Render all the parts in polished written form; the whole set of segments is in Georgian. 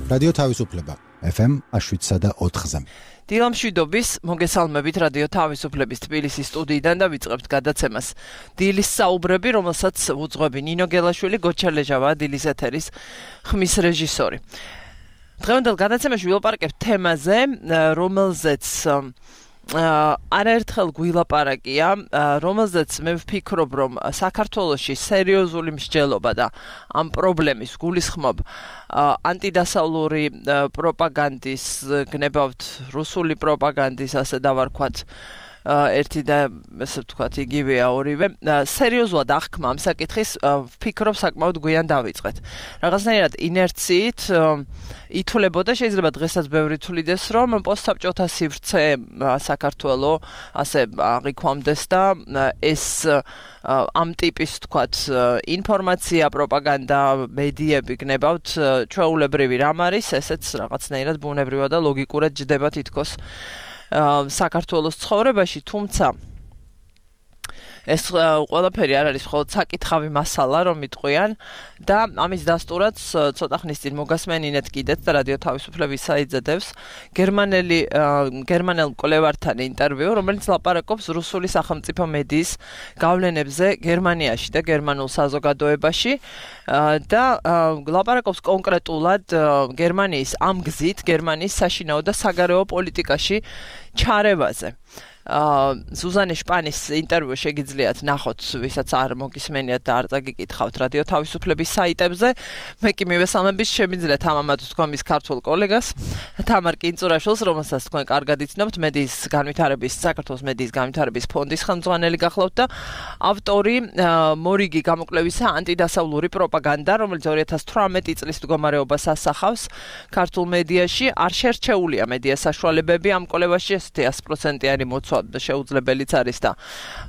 რადიო თავისუფლება FM 7.4-ზე. დილამ მშვიდობის, მოგესალმებით რადიო თავისუფლების თბილისის სტუდიიდან და ვიწყებთ გადაცემას. დილის საუბრები, რომელსაც უძღვები ნინო გელაშვილი, გოჩა ლეჟავა, დილის ეთერის ხმის რეჟისორი. დღევანდელ გადაცემაში ვილაპარაკებთ თემაზე, რომელზეც არაერთხელ გვილაპარაკია, რომელზეც მე ვფიქრობ, რომ საქართველოში სერიოზული მსჯელობა და ამ პრობლემის გულისხმობ ანტიდასავლური პროპაგანდის, გნებავთ რუსული პროპაგანდის, ასე დავარქვათ, ერთი და ესე ვთქვათ, იგივეა ორივე. სერიოზულად აღქმა ამ საკითხის ვფიქრობ საკმაოდ გვიან დავიწყეთ. რაღაცნაირად ინერციით ითვლებოდა, შეიძლება დღესაც ბევრი თვლიდეს, რომ პოსტსაბჭოთა სივრცე საქართველო ასე აღიქვამდეს და ეს ამ ტიპის ვთქვათ ინფორმაცია, პროპაგანდა, მედიები გნებავთ ჩვეულებრივი რამ არის, ესეც რაღაცნაირად ბუნებრივად და ლოგიკურად ჯდება თითქოს საქართველოს ცხოვრებაში, თუმცა ეს ყველაფერი არ არის მხოლოდ საკითხავი მასალა, რომ იტყვიან და ამის დასტურად ცოტა ხნის წინ მოგასმენინეთ კიდეც და რადიო თავისუფლების საიძედევს გერმანელ მკვლევართან ინტერვიუ, რომელიც ლაპარაკობს რუსული სახელმწიფო მედიის გავლენებზე გერმანიაში და გერმანულ საზოგადოებაში და ლაპარაკობს კონკრეტულად გერმანიის ამ გზით, გერმანიის საშინაო და საგარეო პოლიტიკაში ჩარევაზე. ზუზანე შპანის ინტერვიუ შეგიძლიათ ნახოთ, ვისაც არ მოგისმენიათ და არ წაგიკითხავთ რადიო თავისუფლების საიტებზე. მე კი მივესალმებით შემიძლია თამამად თქვენს ქართულ კოლეგას თამარ კინწურაშვილს, რომელსაც თქვენ კარგად იცნობთ, საქართველოს მედიის განვითარების ფონდის ხელმძღვანელი გახლავთ და ავტორი მორიგი გამოკვლევისა ანტიდასავლური პროპაგანდა, რომელიც 2018 წლის მდგომარეობას ასახავს ქართულ მედიაში. არ შერჩეულია მედია საშუალებები ამ კვლევაში, ესეთი 100%-იანი მოცვა შეუძლებელიც არის და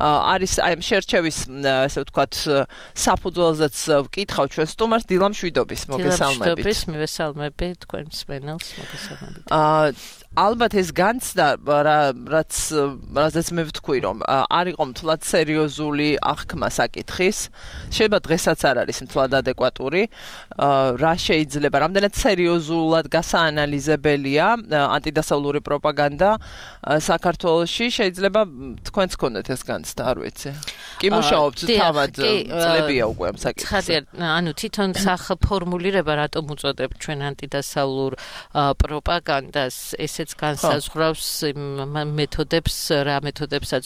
არის აი ამ შერჩევის, ესე ვთქვათ, საფუძველზეც ვკითხავ ჩვენ სტუმარს. დილამ მშვიდობის, მოგესალმებით. მშვიდობის, მივესალმები თქვენ მსმენელს, მოგესალმებით. ალბათ ეს განცდა, რაზეც მე ვთქვი, რომ არ იყო მთლად სერიოზული აღქმა საკითხის, შეიძლება დღესაც არ არის მთლად ადეკვატური, რა შეიძლება, რამდენად სერიოზულად გასაანალიზებელია ანტიდასავლური პროპაგანდა საქართველოში, შეიძლება თქვენც გქონდეთ ეს განცდა, არ ვიცი. კი მუშაობთ თავად წლებია უკვე ამ საკითხზე. ანუ თვითონ სახფორმულირება რატომ უწოდებთ ჩვენ ანტიდასავლურ პროპაგანდას, ესეც განსაზღვრავს მეთოდებს, რა მეთოდებსაც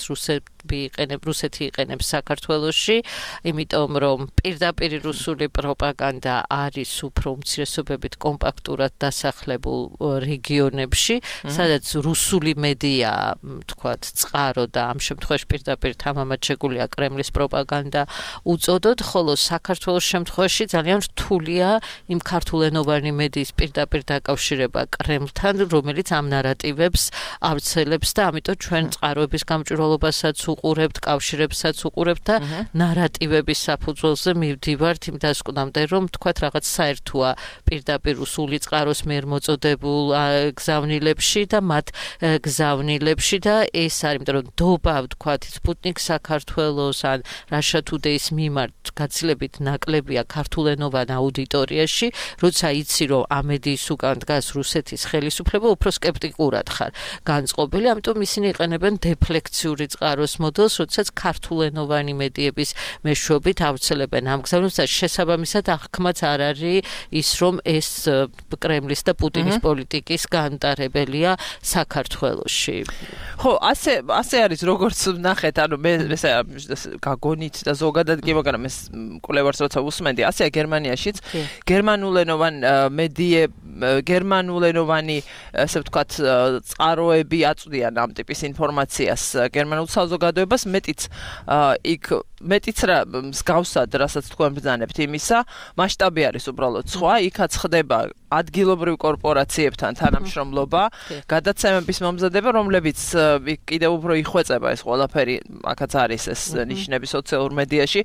რუსეთი იყენებს საქართველოში, იმიტომ რომ პირდაპირ რუსული პროპაგანდა არის უფრო უმცირესობებით კომპაქტურად დასახლებულ რეგიონებში, სადაც რუსული მედია, თქვათ, წყარო და ამ შემთხვევაში პირდაპირ თამამად შეგულია კრემლის პროპაგანდა უწოდოთ, ხოლო საქართველოს შემთხვევაში ძალიან რთულია იმ ქართულენოვანი მედიის პირდაპირ დაკავშირება კრემლთან, რომელიც ამ ნარატივებს ავრცელებს და ამიტომ ჩვენ წყაროების გამჭვირვალობასაც უყურებთ, კავშირებსაც უყურებთ და ნარატივების საფუძველზე მივდივართ იმ დასკვნამდე, რომ თქვათ რაღაც საერთოა პირდაპირ რუსული წყაროს მიერ მოწოდებულ გზავნილებში და მათ გზავნილებში და ეს არის, იმიტომ რომ დობა, თქვათ, სპუტნიკ საქართველოს ან Russia Today-ის მიმართ გაცილებით ნაკლებია ქართულენოვან აუდიტორიაში, როცა იცი, რომ ამ მედიის უკან დგას რუსეთის ხელისუფლება, უფრო სკეპტიკურად ხარ განწყობილი, ამიტომ ისინი იყენებენ დეფლექციური წყაროს მოდელს, როდესაც ქართულენოვანი მედიების მეშვეობით ავრცელებენ ამ გზავნილებს და შესაბამისად აღქმაც არ არის ის, რომ ეს კრემლის და პუტინის პოლიტიკის განტარებელია საქართველოში. ხო, ასე არის, როგორც ნახეთ, ანუ მე ესე გაგონით და ზოგადად კი, მაგრამ ეს კვლევარს როცა უსმენდი, ასეა გერმანიაშიც, გერმანულენოვანი ასე ვთქვათ, წყაროები აწვდიან ამ ტიპის ინფორმაციას გერმანულ საზოგადოებას, მეტიც რა მსგავსად, რასაც თქვენ ბრძანებთ იმისა, მასშტაბი არის უბრალოდ სხვა, იქაც ხდება ადგილობრივ კორპორაციებთან თანამშრომლობა, გადაცემების მომზადება, რომლებიც კიდევ უფრო იხვეწება ეს ყველაფერი, აქაც არის ეს ნიშნები სოციალურ მედიაში,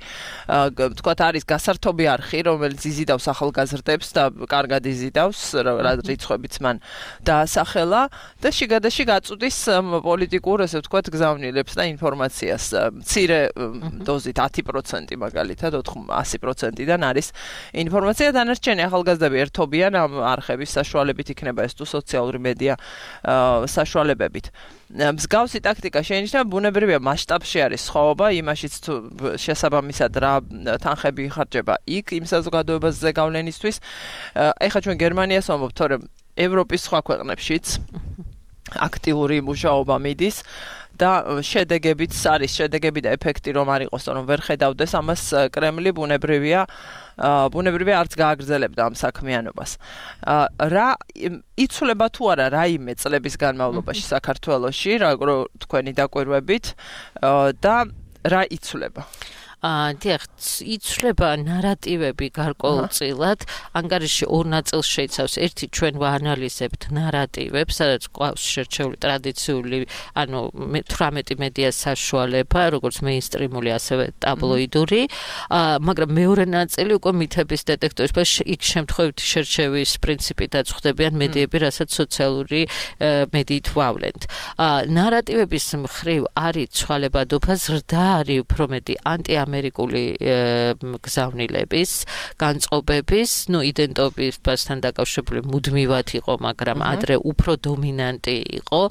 ვთქვათ, არის გასართობი არხი, რომელიც იზიდავს ახალგაზრდებს და კარგად იზიდავს, რა რიცხვებიც მან დაასახელა და შიგადაში გაწუდის პოლიტიკურ, ესე ვთქვათ, გზავნილებს და ინფორმაციას. მცირე დოზით 10% მაგალითად 100%-დან არის ინფორმაცია, დანარჩენი ახალგაზრდები ერთობიან ამ არხების საშუალებით იქნება ეს თუ სოციალური მედია საშუალებებით. მსგავსი ტაქტიკა შეინიშნება ბუნებრივია მასშტაბში არის სხვაობა იმაშიც თუ შესაბამისად რა თანხები იხარჯება იქ იმ საზოგადოებაზე გავლენისთვის. ეხლა ჩვენ გერმანიას ვამბობთ, თორემ ევროპის სხვა ქვეყნებშიც აქტიური მუშაობა მიდის და შედეგებიც არის შედეგები და ეფექტი რომ არ იყოს, რომ ვერ ხედავდეს ამას კრემლი ბუნებრივია არც გააგრძელებდა ამ საქმიანობას. რა იცვლება თუ არა რაიმე წლების განმავლობაში საქართველოში, თქვენი დაკვირვებით და რა იცვლება? დიახ, იცვლება ნარატივები გარკვეულწილად, ანგარიში ორ ნაწილს შეიცავს. ერთი ჩვენ ვაანალიზებთ ნარატივებს, სადაც ყავს შერჩეული ტრადიციული, 18 მედია საშუალება, როგორც მეინსტრიმული, ასევე ტაბლოიდური, მაგრამ მეორე ნაწილი უკვე მითების დეტექტორის, იქ შემთხვევითი შერჩევის პრინციპითაც ხდებიან მედიები, რასაც სოციალური მედიით ვავლენთ. ნარატივების მხრივ არის ცვალებადობა, ზრდა არის უფრო მეტი ამერიკული გზავნილების, განწყობების, იდენტობასთან დაკავშირებული მუდმივად იყო, მაგრამ ადრე უფრო დომინანტი იყო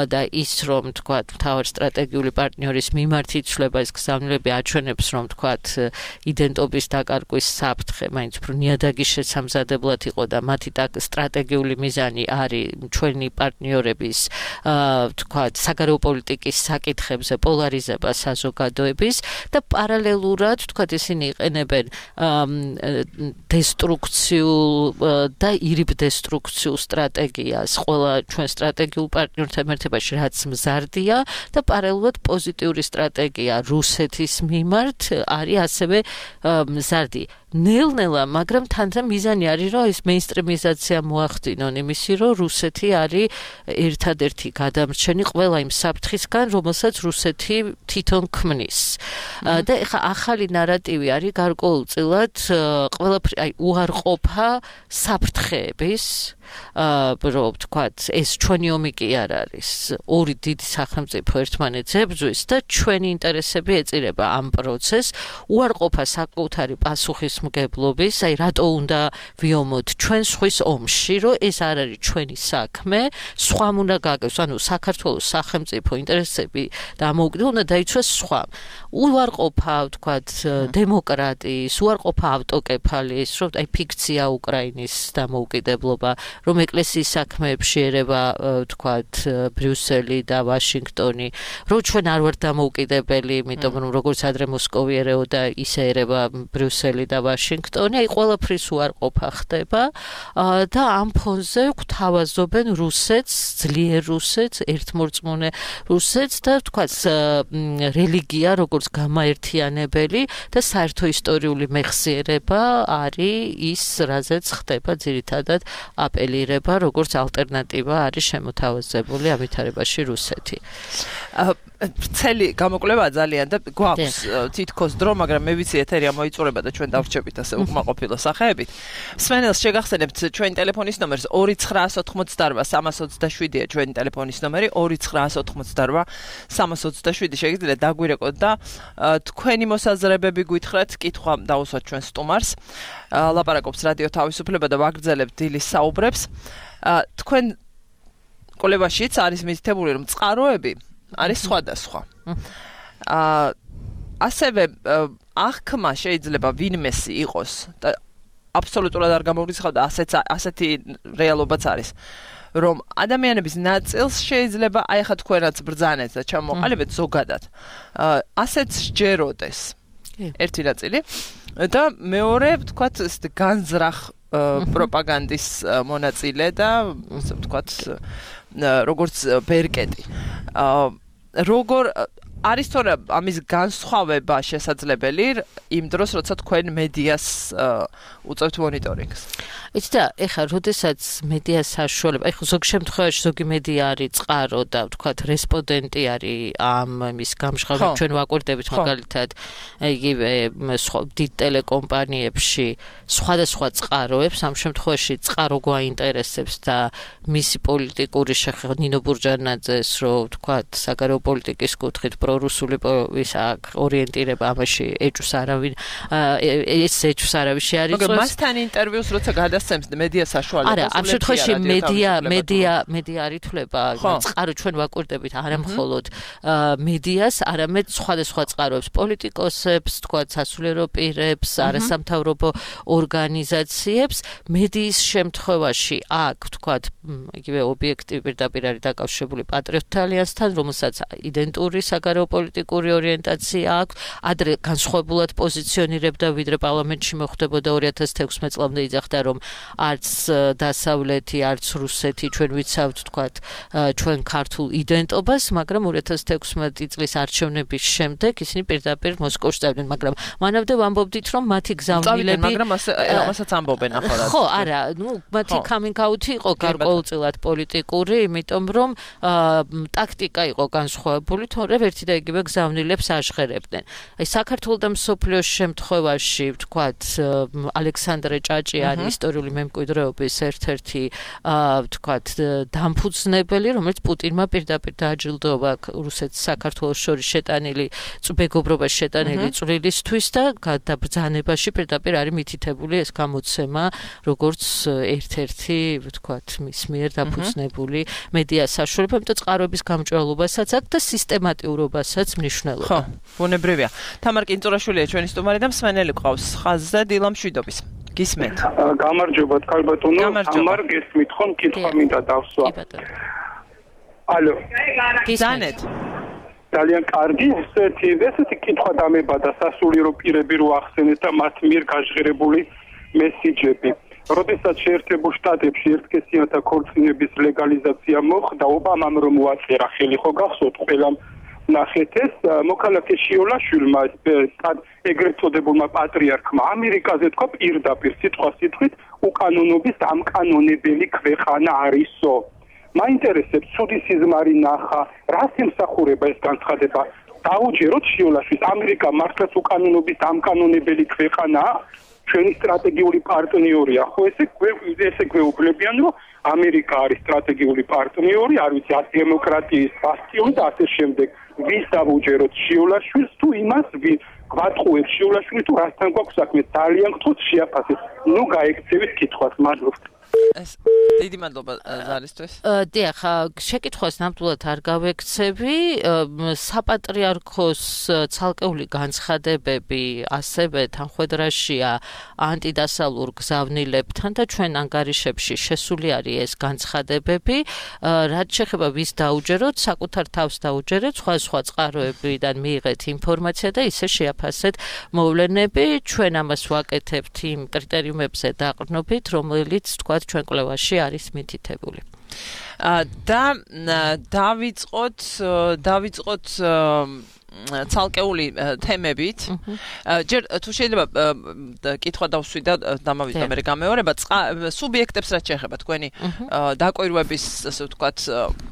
და ის რომ თქვათ, მთავარი სტრატეგიული პარტნიორის მიმართ იცვლება ეს გზავნილები აჩვენებს, რომ თქვათ, იდენტობის დაკარგვის საფრთხე მაინც უფრო ნიადაგის შესამზადებლად იყო და მათი სტრატეგიული მიზანი არის ჩვენი პარტნიორების თქვათ, საგარეო პოლიტიკის საკითხებზე პოლარიზება საზოგადოების და პარალელურად, თქვათ, ისინი იყენებენ დესტრუქციულ და ირიბდესტრუქციულ სტრატეგიას ყველა ჩვენ სტრატეგიულ პარტნიორთან ერთებაში, რაც მზარდია და პარალელურად პოზიტიური სტრატეგია რუსეთის მიმართ არის ასევე მზარდი. ნელ-ნელა, მაგრამ თანდათან მიზანი არის, რომ ეს მეინსტრიმიზაცია მოახდინონ იმისი, რომ რუსეთი არის ერთადერთი გადამრჩენი ყველა იმ საფრთხისგან, რომელსაც რუსეთი თვითონ ქმნის. და ეხლა ახალი ნარატივი არის გარკვეულწილად ყველაფერი უარყოფა საფრთხეების, რომ თქვათ, ეს ჩვენი ომი კი არ არის. ორი დიდი სახელმწიფო ერთმანეთს ებრძვის და ჩვენი ინტერესები ეწირება ამ პროცესს. უარყოფა საკუთარი პასუხისმგებლობის, რატო უნდა ვიომოთ ჩვენ სხვის ომში, რომ ეს არ არის ჩვენი საქმე, სხვამ უნდა გააკეთოს, საქართველოს სახელმწიფო ინტერესები დამოუკიდებელ უნდა დაიცვას სხვამ. უარყოფა, თქვათ, დემოკრატიის, უარყოფა ავტოკეფალიის, რომ ფიქცია უკრაინის დამოუკიდებლობა, რომ ეკლესიის საქმეებში ერევა, თქვათ, ბრიუსელი და ვაშინგტონი, რომ ჩვენ არ ვართ დამოუკიდებელი, იმიტომ რომ როგორც ადრე მოსკოვი ერეოდა, ისე ერევა ბრიუსელი და ვაშინგტონი, ყველაფრის უარყოფა ხდება და ამ ფონზე გვთავაზობენ რუსეთს, ძლიერ რუსეთს, ერთმორწმუნე რუსეთს და თქვათ, რელიგია როგორც გამაერთიანებელი და საერთო ისტორიული მეხსიერება არის ის, რაზეც ხდება ძირითადად აპელირება, როგორც ალტერნატივა არის შემოთავაზებული ამ ვითარებაში რუსეთი. ვრცელი გამოკვლევაა ძალიან და გვაქვს თითქოს დრო, მაგრამ მე ვიცი ეთერი მოიწურება და ჩვენ დავრჩებით ასე უკმაყოფილო სახეებით. სვენელს შეგახსენებთ ჩვენი ტელეფონის ნომერს 2988327-ია ჩვენი ტელეფონის ნომერი 2988327. შეგიძლიათ დაგვირეკოთ და თქვენი მოსაზრებები გითხრათ, კითხვა დაუსვათ ჩვენ სტუმარს. ლაპარაკობს რადიო თავისუფლება და ვაგრძელებთ დილის საუბრებს. თქვენ კვლევაშიც არის მითითებული, რომ წყაროები არის სხვადასხვა. ასევე აღქმა შეიძლება ვინმესი იყოს და აბსოლუტურად არ გამოგვიცხავდა, ასეთი რეალობაც არის, რომ ადამიანების ნაწილს შეიძლება ახლა თქვენაც ბრძანეთ და ჩამოყალიბეთ ზოგადად. ასეც სჯეროდეს ერთი ნაწილი და მეორე, ვთქვათ, განზრახ პროპაგანდის მონაწილე და ასე ვთქვათ, როგორც ბერკეტი. როგორ არის თორე ამის განსხვავება შესაძლებელი იმ დროს, როცა თქვენ მედიას უწევთ მონიტორინგს? იცით და ეხლა როდესაც მედია საშუალება, ეხლა ზოგ შემთხვევაში ზოგი მედია არის წყარო და ვთქვათ რესპონდენტი არის ამ იმის გამჟღავნებაში, ჩვენ ვაკვირდებით მაგალითად იგივე დიდ ტელეკომპანიებში სხვადასხვა წყაროებს, ამ შემთხვევაში წყარო გვაინტერესებს და მისი პოლიტიკური შეხება ნინო ბურჯანაძეს, რომ ვთქვათ საგარეო პოლიტიკის კუთხით რომ რუსული ორიენტირება ამაში ეჭვს არავინ ეს ეჭვს არავინ შეარიწევს. მაგრამ მასთან ინტერვიუს როცა გადასცემს მედია საშუალებას არა, ამ შემთხვევაში მედია არ ითვლება, წყარო ჩვენ ვაკვირდებით არა მხოლოდ მედიას, არამედ სხვადასხვა წყაროებს, პოლიტიკოსებს, თქვათ სასულიერო პირებს, არასამთავრობო ორგანიზაციებს. მედიის შემთხვევაში აქ თქვათ იგივე ობიექტივი პირდაპირ არის დაკავშირებული პატრიოტთა ალიანსთან, რომელსაც იდენტური საგარეო პოლიტიკური ორიენტაცია აქვს, ადრე განსხვავებულად პოზიციონირებდა, ვიდრე პარლამენტში მოხდებოდა 2016 წლამდე იძახდა, რომ არც დასავლეთი, არც რუსეთი ჩვენ ვიცავთ, თქვათ, ჩვენ ქართულ იდენტობას, მაგრამ 2016 წლის არჩევნების შემდეგ ისინი პირდაპირ მოსკოვში წავიდნენ, მაგრამ მანამდე ვამბობდით, რომ მათი გზავნილები მაგრამ ამასაც ამბობენ ახლა. ხო, არა, მათი coming out იყო გარკვეულწილად პოლიტიკური, იმიტომ რომ ტაქტიკა იყო განსხვავებული, თორემ ერთი და იგივე გზავნილებს აჟღერებდნენ. აი საქართველოს და მსოფლიოს შემთხვევაში, ვთქვათ, ალექსანდრე ჭაჭიანი ისტორიული მემკვიდრეობის ერთ-ერთი ვთქვათ, დამფუძნებელი, რომელიც პუტინმა პირდაპირ დააჯილდოვა რუსეთს საქართველოს შორის შეტანილი მეგობრობაში შეტანილი წვლილისთვის და გადაბრძანებაში პირდაპირ არის მითითებული ეს გამოცემა, როგორც ერთ-ერთი, ვთქვათ, მის მიერ დაფუძნებული მედია საშუალება, იმიტომ წყაროების გამჭვირვალობასაც აქვს და სისტემატიურობასაც მნიშვნელობა. ხო, ბუნებრივია. თამარ კინწურაშვილია ჩვენი სტუმარი და მსმენელი ყავს ხაზზე დილა მშვიდობის. გისმენთ. გამარჯობა, ქალბატონო. თამარ გესმით ხომ კითხვა მინდა დავსვა. ალო. გისმენთ. ძალიან კარგი, ესეთი კითხვა დამებადა სასულიერო პირები რო ახსენეთ და მათ მიერ გაჟღერებული მესიჯები. როდესაც შეერთებულ შტატებში ერთკესიანთა ქორწინების ლეგალიზაცია მოხდა, ობამამ რომ მოაწერა ხელი, ხო გახსოვთ ყველამ ნახეთ ეს მოქალაქე შიოლაშვილმა ეგრეთ წოდებულმა პატრიარქმა ამერიკაზე თქვა პირდაპირ სიტყვით უკანონობის ამკანონებელი ქვეყანა არისო. მაინტერესებს ცუდი სიზმარი ნახა, რას ემსახურება ეს განცხადება? დაუჯეროთ შიოლაშვილს, ამერიკა მართლაც უკანონობის ამკანონებელი ქვეყანაა? ჩვენი სტრატეგიული პარტნიორია, ხო ესე გვეუბნებიან, რომ ამერიკა არის სტრატეგიული პარტნიორი, არ ვიცი, დემოკრატიის ბასტიონი და ასე შემდეგ. ვის დავუჯეროთ შიოლაშვილს თუ იმას, გვატყუებს შიოლაშვილს თუ რასთან გვაქვს საქმე, ძალიან გთხოვთ შეაფასეთ. ნუ გაექცევით კითხვას, მადლობთ. დიდი მადლობა ზარისთვის. დიახ, შეკითხვას ნამდვილად არ გავექცევი. საპატრიარქოს ცალკეული განცხადებები ასევე თანხმედრაშია ანტიდასავლურ გზავნილებთან და ჩვენ ანგარიშებში შესული არის ეს განცხადებები. რაც შეეხება ვის დაუჯეროთ, საკუთარ თავს დაუჯერეთ, სხვა წყაროებიდან მიიღეთ ინფორმაცია და ისე შეაფასეთ მოვლენები. ჩვენ ამას ვაკეთებთ იმ კრიტერიუმებზე დაყრდნობით, რომელიც თქვა ჩვენ კვლევაში არის მითითებული. და დავიწყოთ ცალკეული თემებით. ჯერ თუ შეიძლება კითხვა დავსვი და დამავიწყე მე გამეორება სუბიექტებს რაც შეეხება თქვენი დაკვირვების ასე ვთქვათ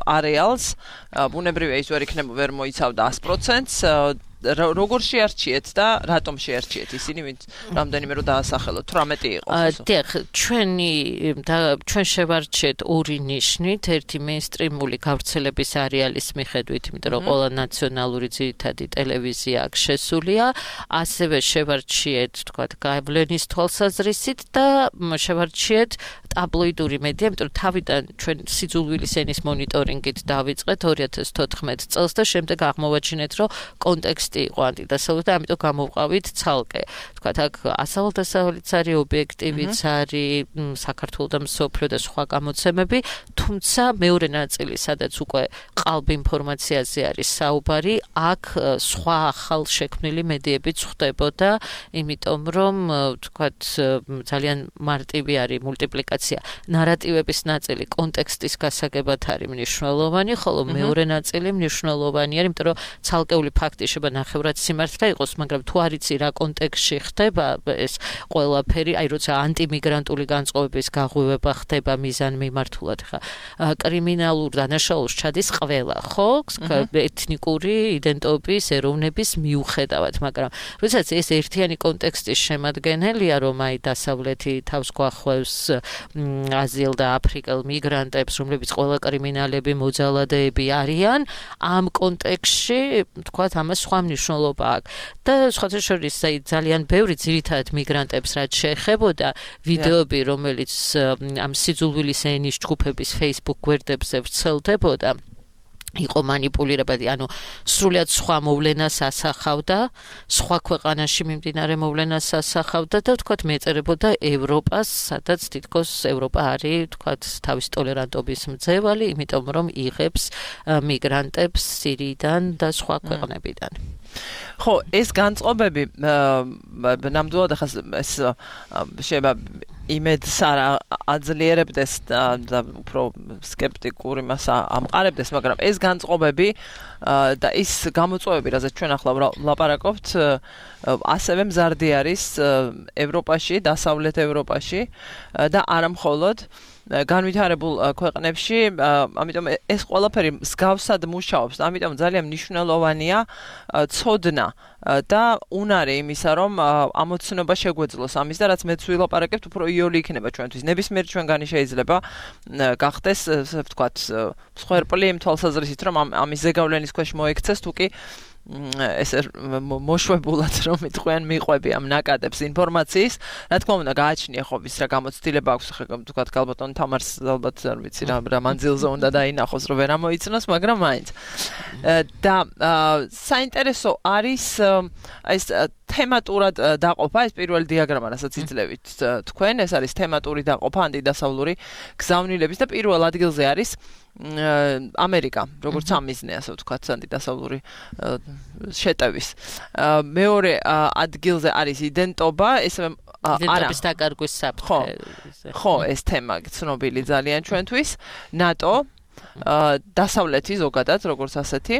არეალს, ბუნებრივია ის ვერ მოიცავდა 100%-ს. როგორ შეარჩიეთ და რატომ შეარჩიეთ ისინი, ვინც რამდენიმე რო დაასახელოთ, 18 იყო. დიახ, ჩვენ შევარჩიეთ ორი ნიშნით, ერთი მეინსტრიმული გავრცელების არეალის მიხედვით, იმიტომ რომ ყველა ნაციონალური ძირითადი ტელევიზია აქ შესულია, ასევე შევარჩიეთ, თქვათ, გავლენის თვალსაზრისით და შევარჩიეთ ტაბლოიდური მედია, იმიტომ რომ თავიდან ჩვენ სიძულვილის ენის მონიტორინგით დავიწყეთ 2014 წელს და შემდეგ აღმოვაჩინეთ, რომ კონტექსტი იყო ანტიდასავლური და ამიტომ გამოვყავით ცალკე. თქვათ, აქ ასავლდასავლეთიც არის, ობიექტივიც არის, საქართველოს და მსოფლიო და სხვა გამოცემები, თუმცა მეორე ნაწილი, სადაც უკვე ყალბ ინფორმაციაზე არის საუბარი, აქ სხვა ახალ შექმნილი მედიებიც ხდებოდა, იმიტომ რომ, თქვათ, ძალიან მარტივი არის მულტიპლიკაცია. ნარატივების ნაწილი კონტექსტის გასაგებად არის მნიშვნელოვანი, ხოლო მეორე ნაწილი მნიშვნელოვანი არის, იმიტომ რომ ცალკეული ფაქტი შეიძლება ნახევრად სიმართლე იყოს, მაგრამ თუ არ იცი რა კონტექსტში ხდება ეს ყველაფერი, აი როცა ანტიმიგრანტული განწყობების გაღვივება ხდება მიზანმიმართულად, ხა კრიმინალურ დანაშაულს ჩადის ყველა, ხო? ეთნიკური იდენტობის, ეროვნების მიუხედავად, მაგრამ როდესაც ეს ერთიანი კონტექსტის შემადგენელია, რომ აი დასავლეთი თავს გვახვევს აზიელ და აფრიკელ მიგრანტებს, რომლებიც ყველა კრიმინალები, მოძალადეები არიან, ამ კონტექსტში, თქვათ, ამას სხვა მნიშვნელობა აქვს. და სხვათა შორის ძალიან ბევრი ძირითადად მიგრანტებს რაც შეეხებოდა ვიდეოები, რომელიც ამ სიძულვილის ენის ჯგუფების Facebook გვერდებზე ვრცელდებოდა, იყო манипулირებადი, ანუ სრულიად სხვა მოვლენას ასახავდა, სხვა ქვეყანაში მიმდინარე მოვლენას ასახავდა და თქვათ მეწერებოდა ევროპას, სადაც თითქოს ევროპა არის, თქვათ, თავის ტოლერანტობის მძევალი, იმიტომ რომ იღებს მიგრანტებს სირიიდან და სხვა ქვეყნებიდან. ხო, ეს განწყობები ნამდვილად ახლა ეს შეიძლება იმედს არ აძლიერებდეს და უფრო სკეპტიკურ იმას ამყარებდეს, მაგრამ ეს განწყობები და ის გამოწვევები, რაზეც ჩვენ ახლა ვლაპარაკობთ, ასევე მზარდი არის ევროპაში, დასავლეთ ევროპაში და არა მხოლოდ განვითარებულ ქვეყნებში, ამიტომ ეს ყველაფერი მსგავსად მუშაობს, ამიტომ ძალიან მნიშვნელოვანია ცოდნა და უნარი იმისა, რომ ამოცნობა შეგვეძლოს ამის და რაც მეც ვილაპარაკებთ, უფრო იოლი იქნება ჩვენთვის. ნებისმიერ ჩვენგანი შეიძლება გახდეს, ასე ვთქვათ, მსხვერპლი იმ თვალსაზრისით, რომ ამის ზეგავლენის ქვეშ მოექცეს, თუკი ესე მოშვებულად რომ იტყვიან მიყვები ამ ნაკადებს ინფორმაციის, რა თქმა უნდა გააჩნია ხო ვის რა გამოცდილება აქვს, ხა თქვათ გალბატონ თამარს ალბათ არ ვიცი რა მანძილზე უნდა დაინახოს რომ ვერ ამოიცნოს, მაგრამ მაინც და საინტერესო არის ეს თემატურად დაყოფა, ეს პირველი დიაგრამა, რასაც იძლევით თქვენ, ეს არის თემატური დაყოფა ანტიდასავლური გზავნილების და პირველ ადგილზე არის ამერიკა, როგორც ამიზნე, ასე ვთქვათ, ანტიდასავლური შეტევის. მეორე ადგილზე არის იდენტობა, ესე იდენტობის დაკარგვის საფრთხე. ხო, ეს თემა ცნობილი ძალიან ჩვენთვის. ნატო, დასავლეთი ზოგადად, როგორც ასეთი.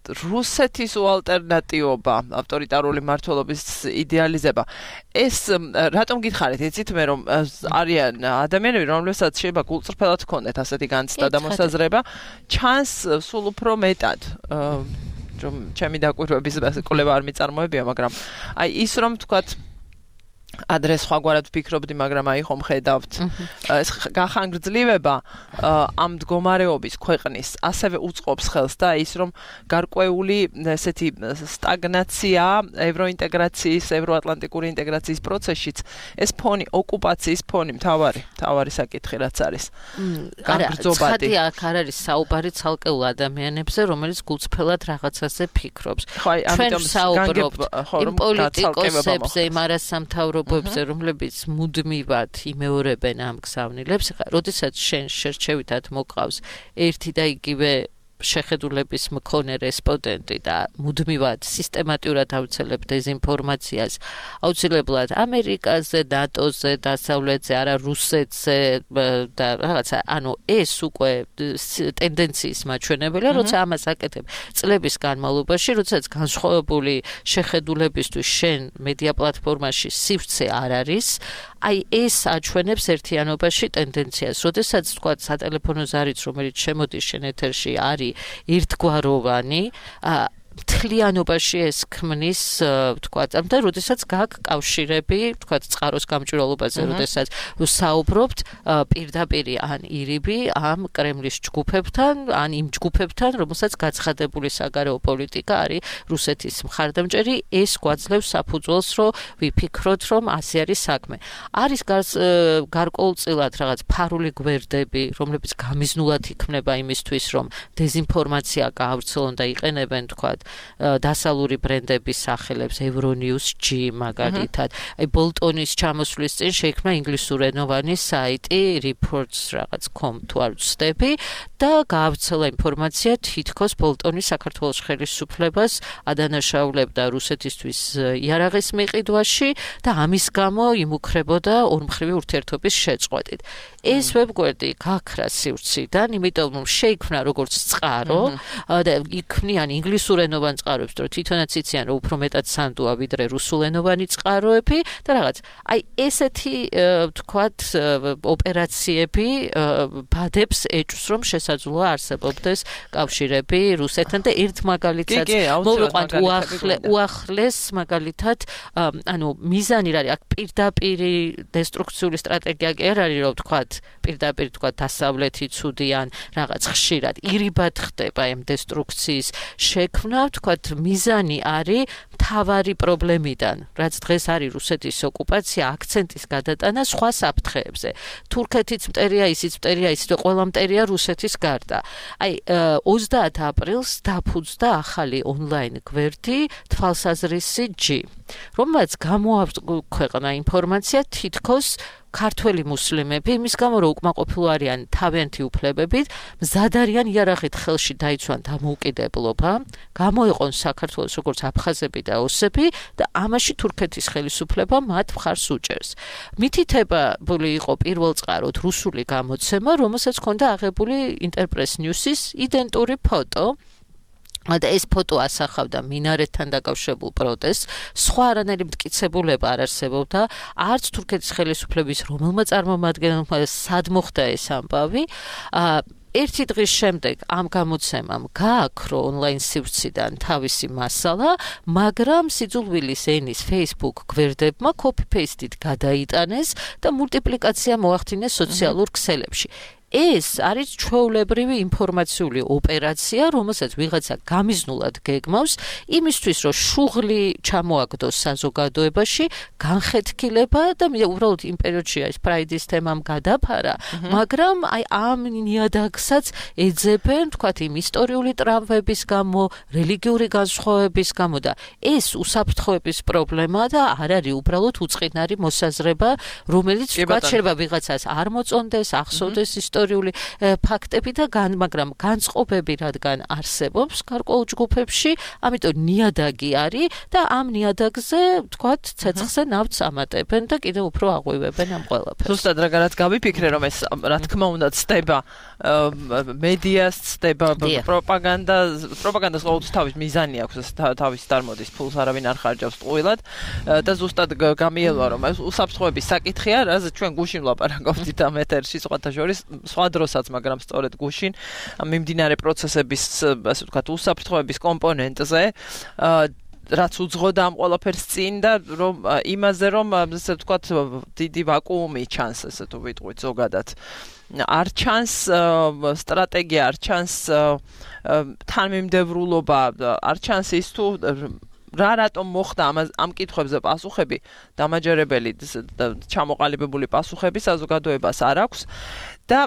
რუსეთის უალტერნატივობა, ავტორიტარული მმართველობის იდეალიზება. ეს რატომ გითხარით, იცით მე რომ არიან ადამიანები, რომლებსაც შეიძლება გულწრფელად ჰქონდეთ ასეთი განცდა და მოსაზრება, ჩანს სულ უფრო მეტად. რომ ჩემი დაკვირვების კვლევა არ მიწარმოებია, მაგრამ აი ის რომ თქვათ ადრე სხვაგვარად ვფიქრობდი, მაგრამ აი ხომ ხედავთ ეს გახანგრძლივება ამ მდგომარეობის ქვეყნის ასევე უწყობს ხელს და ის რომ გარკვეული ესეთი სტაგნაცია ევროინტეგრაციის, ევროატლანტიკური ინტეგრაციის პროცესშიც ეს ფონი, ოკუპაციის ფონი მთავარი საკითხი რაც არის. გაგრძობადი. აქ არ არის საუბარი ცალკეულ ადამიანებზე, რომელიც გულწრფელად რაღაცაზე ფიქრობს. ჩვენ საუბრობთ იმ პოლიტიკოსებზე, იმ არასამთავრობო რომლებიც მუდმივად იმეორებენ ამ გზავნილებს, როდესაც შენ შერჩევითად მოყავს ერთი და იგივე შეხედულების მქონე რესპონდენტი და მუდმივად სისტემატურად აუცილებ დეზინფორმაციას, აუცილებლად ამერიკაზე, ნატოზე, დასავლეთზე, არა რუსეთზე და რაღაცა, ანუ ეს უკვე ტენდენციის მაჩვენებელია, როცა ამას აკეთებ წლების განმავლობაში, როდესაც განსხვავებული შეხედულებისთვის შენ მედია პლატფორმაში სივრცე არ არის, აი ეს აჩვენებს ერთიანობაში ტენდენციას. როდესაც თქვა სატელეფონო ზარიც, რომელიც შემოდის შენ ეთერში, არის ერთგვაროვანი, მთლიანობაში ეს ქმნის, თქვათ, და როდესაც გაქვს კავშირები, თქვათ, წყაროს გამჭვირვალობაზე, როდესაც საუბრობთ პირდაპირ ან ირიბი ამ კრემლის ჯგუფებთან, ან იმ ჯგუფებთან, რომელსაც გაცხადებული საგარეო პოლიტიკა არის რუსეთის მხარდამჭერი, ეს გვაძლევს საფუძველს, რომ ვიფიქროთ, რომ ასე არის საქმე. არის გარკვეულწილად რაღაც ფარული გვერდები, რომლებიც გამიზნულად იქმნება იმისთვის, რომ დეზინფორმაცია გაავრცელონ და იყენებენ, თქვათ, დასავლური ბრენდების სახელებს, Euronews G მაგალითად. აი ბოლტონის ჩამოსვლის წინ შეიქმნა ინგლისურენოვანი საიტი reports.com თუ არ ვცდები და გაავრცელა ინფორმაცია თითქოს ბოლტონის საქართველოს ხელისუფლებას ადანაშაულებდა რუსეთისთვის იარაღის მიყიდვაში და ამის გამო იმუქრებოდა ორმხრივი ურთიერთობის შეწყვეტით. ეს ვებგვერდი გაქრა სივრციდან, იმიტომ რომ შეიქმნა როგორც წყარო და იქმნიან ინგლისურენოვანი ინგლისურენოვან წყაროებს, რომ თვითონაც იციან, რომ უფრო მეტად სანდუა ვიდრე რუსულენოვანი წყაროები და რაღაც. აი ესეთი თქვათ ოპერაციები ბადებს ეჭვს, რომ შესაძლოა არსებობდეს კავშირები რუსეთთან და ერთ მაგალითად მოვიყვანთ უახლეს მაგალითად ანუ მიზანი რა არის აქ პირდაპირი დესტრუქციული სტრატეგია კი არ არის რომ თქვათ პირდაპირ თქვათ დასავლეთი ცუდიან რაღაც ხშირად ირიბად ხდება ამ დესტრუქციის შექმნა თქვათ მიზანი არის მთავარი პრობლემიდან რაც დღეს არის რუსეთის ოკუპაცია აქცენტის გადატანა სხვა საფრთხეებზე თურქეთიც მტერია ისიც მტერია ისიც ყველა მტერია რუსეთის გარდა აი 30 აპრილს დაფუძდა ახალი ონლაინ გვერდი თვალსაზრისი G რომელსაც გამოაქვეყნა ინფორმაცია თითქოს ქართველი მუსლიმები იმის გამო რომ უკმაყოფილო არიან თავიანთი უფლებებით მზად არიან იარაღით ხელში დაიცვან დამოუკიდებლობა გამოიყონ საქართველოს როგორც აფხაზები და ოსები და ამაში თურქეთის ხელისუფლება მათ მხარს უჭერს მითითებული იყო პირველ წყაროდ რუსული გამოცემა რომელსაც ჰქონდა აღებული ინტერპრეს ნიუსის იდენტური ფოტო და ეს ფოტო ასახავდა მინარეთთან დაკავშირებულ პროტესტს, სხვა არანაირი მტკიცებულება არ არსებობდა, არც თურქეთის ხელისუფლების რომელმა წარმომადგენელმა სად მოხდა ეს ამბავი. ერთი დღის შემდეგ ამ გამოცემამ გააქრო ონლაინ სივრციდან თავისი მასალა, მაგრამ სიძულვილის ენის Facebook გვერდებმა copy-paste-ით გადაიტანეს და მულტიპლიკაცია მოახდინეს სოციალურ ქსელებში. ეს არის ჩვეულებრივი ინფორმაციული ოპერაცია, რომელსაც ვიღაცა გამიზნულად გეგმავს, იმისთვის, რომ შუღლი ჩამოაგდოს საზოგადოებაში, განხეთქილება და უბრალოდ იმ პერიოდში ეს პრაიდის თემამ გადაფარა, მაგრამ აი ამ ნიადაგსაც ეძებენ, თქვათ, იმ ისტორიული ტრავმების გამო, რელიგიური განსხვავების გამო და ეს უსაფრთხოების პრობლემაა და არ არის უბრალოდ უწყინარი მოსაზრება, რომელიც თქვათ შეიძლება ვიღაცას არ მოწონდეს, ახსოვდეს ისტორიული ფაქტები და მაგრამ განწყობები რადგან არსებობს გარკვეულ ჯგუფებში, ამიტომ ნიადაგი არის და ამ ნიადაგზე, თქვათ, ცეცხლზე ნავთს ამატებენ და კიდევ უფრო აღვივებენ ამ ყველაფერს. ზუსტად რაღაც გავიფიქრე, რომ ეს რა თქმა უნდა ცდება მედიას, ცდება პროპაგანდას ყოველთვის თავის მიზანი აქვს, თავის დარმოდის ფულს არავინ არ ხარჯავს ტყუილად და ზუსტად გამიელვა, რომ ეს უსაფრთხოების საკითხია, რაც ჩვენ გუშინ ვლაპარაკობდით ამ ეთერში სხვათა შორის სხვა დროსაც, მაგრამ სწორედ გუშინ მიმდინარე პროცესების, ასე ვთქვათ, უსაფრთხოების კომპონენტზე რაც უძღოდა ამ ყველაფერს წინ და რომ იმაზე რომ ასე ვთქვათ დიდი ვაკუუმი ჩანს, ასე თუ ვიტყვით ზოგადად. არ ჩანს სტრატეგია, არ ჩანს თანმიმდევრულობა, არ ჩანს ის თუ რა რატომ მოხდა ამ კითხვებზე პასუხები დამაჯერებელი ჩამოყალიბებული პასუხები საზოგადოებას არ აქვს და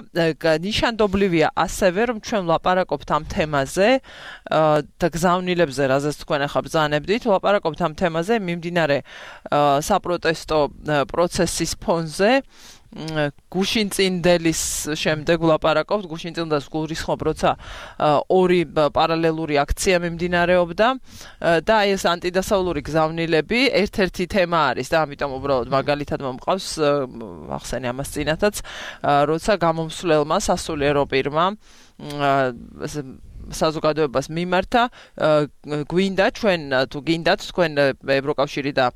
ნიშანდობლივია ასევე რომ ჩვენ ვლაპარაკობთ ამ თემაზე და გზავნილებზე რაზეც თქვენ ახლა ბრძანებდით ვლაპარაკობთ ამ თემაზე მიმდინარე საპროტესტო პროცესის ფონზე გუშინწინდელის შემდეგ ვლაპარაკობთ გუშინწინდელს გულრისხმობ როცა ორი პარალელური აქცია მიმდინარეობდა და აი ეს ანტიდასავლური გზავნილები ერთ-ერთი თემა არის და ამიტომ უბრალოდ მაგალითად მომყავს ახსენე ამას წინათაც როცა გამომსვლელმა სასულიერო პირმა საზოგადოებას მიმართა გვინდა ჩვენ თუ გინდათ თქვენ ევროკავშირი და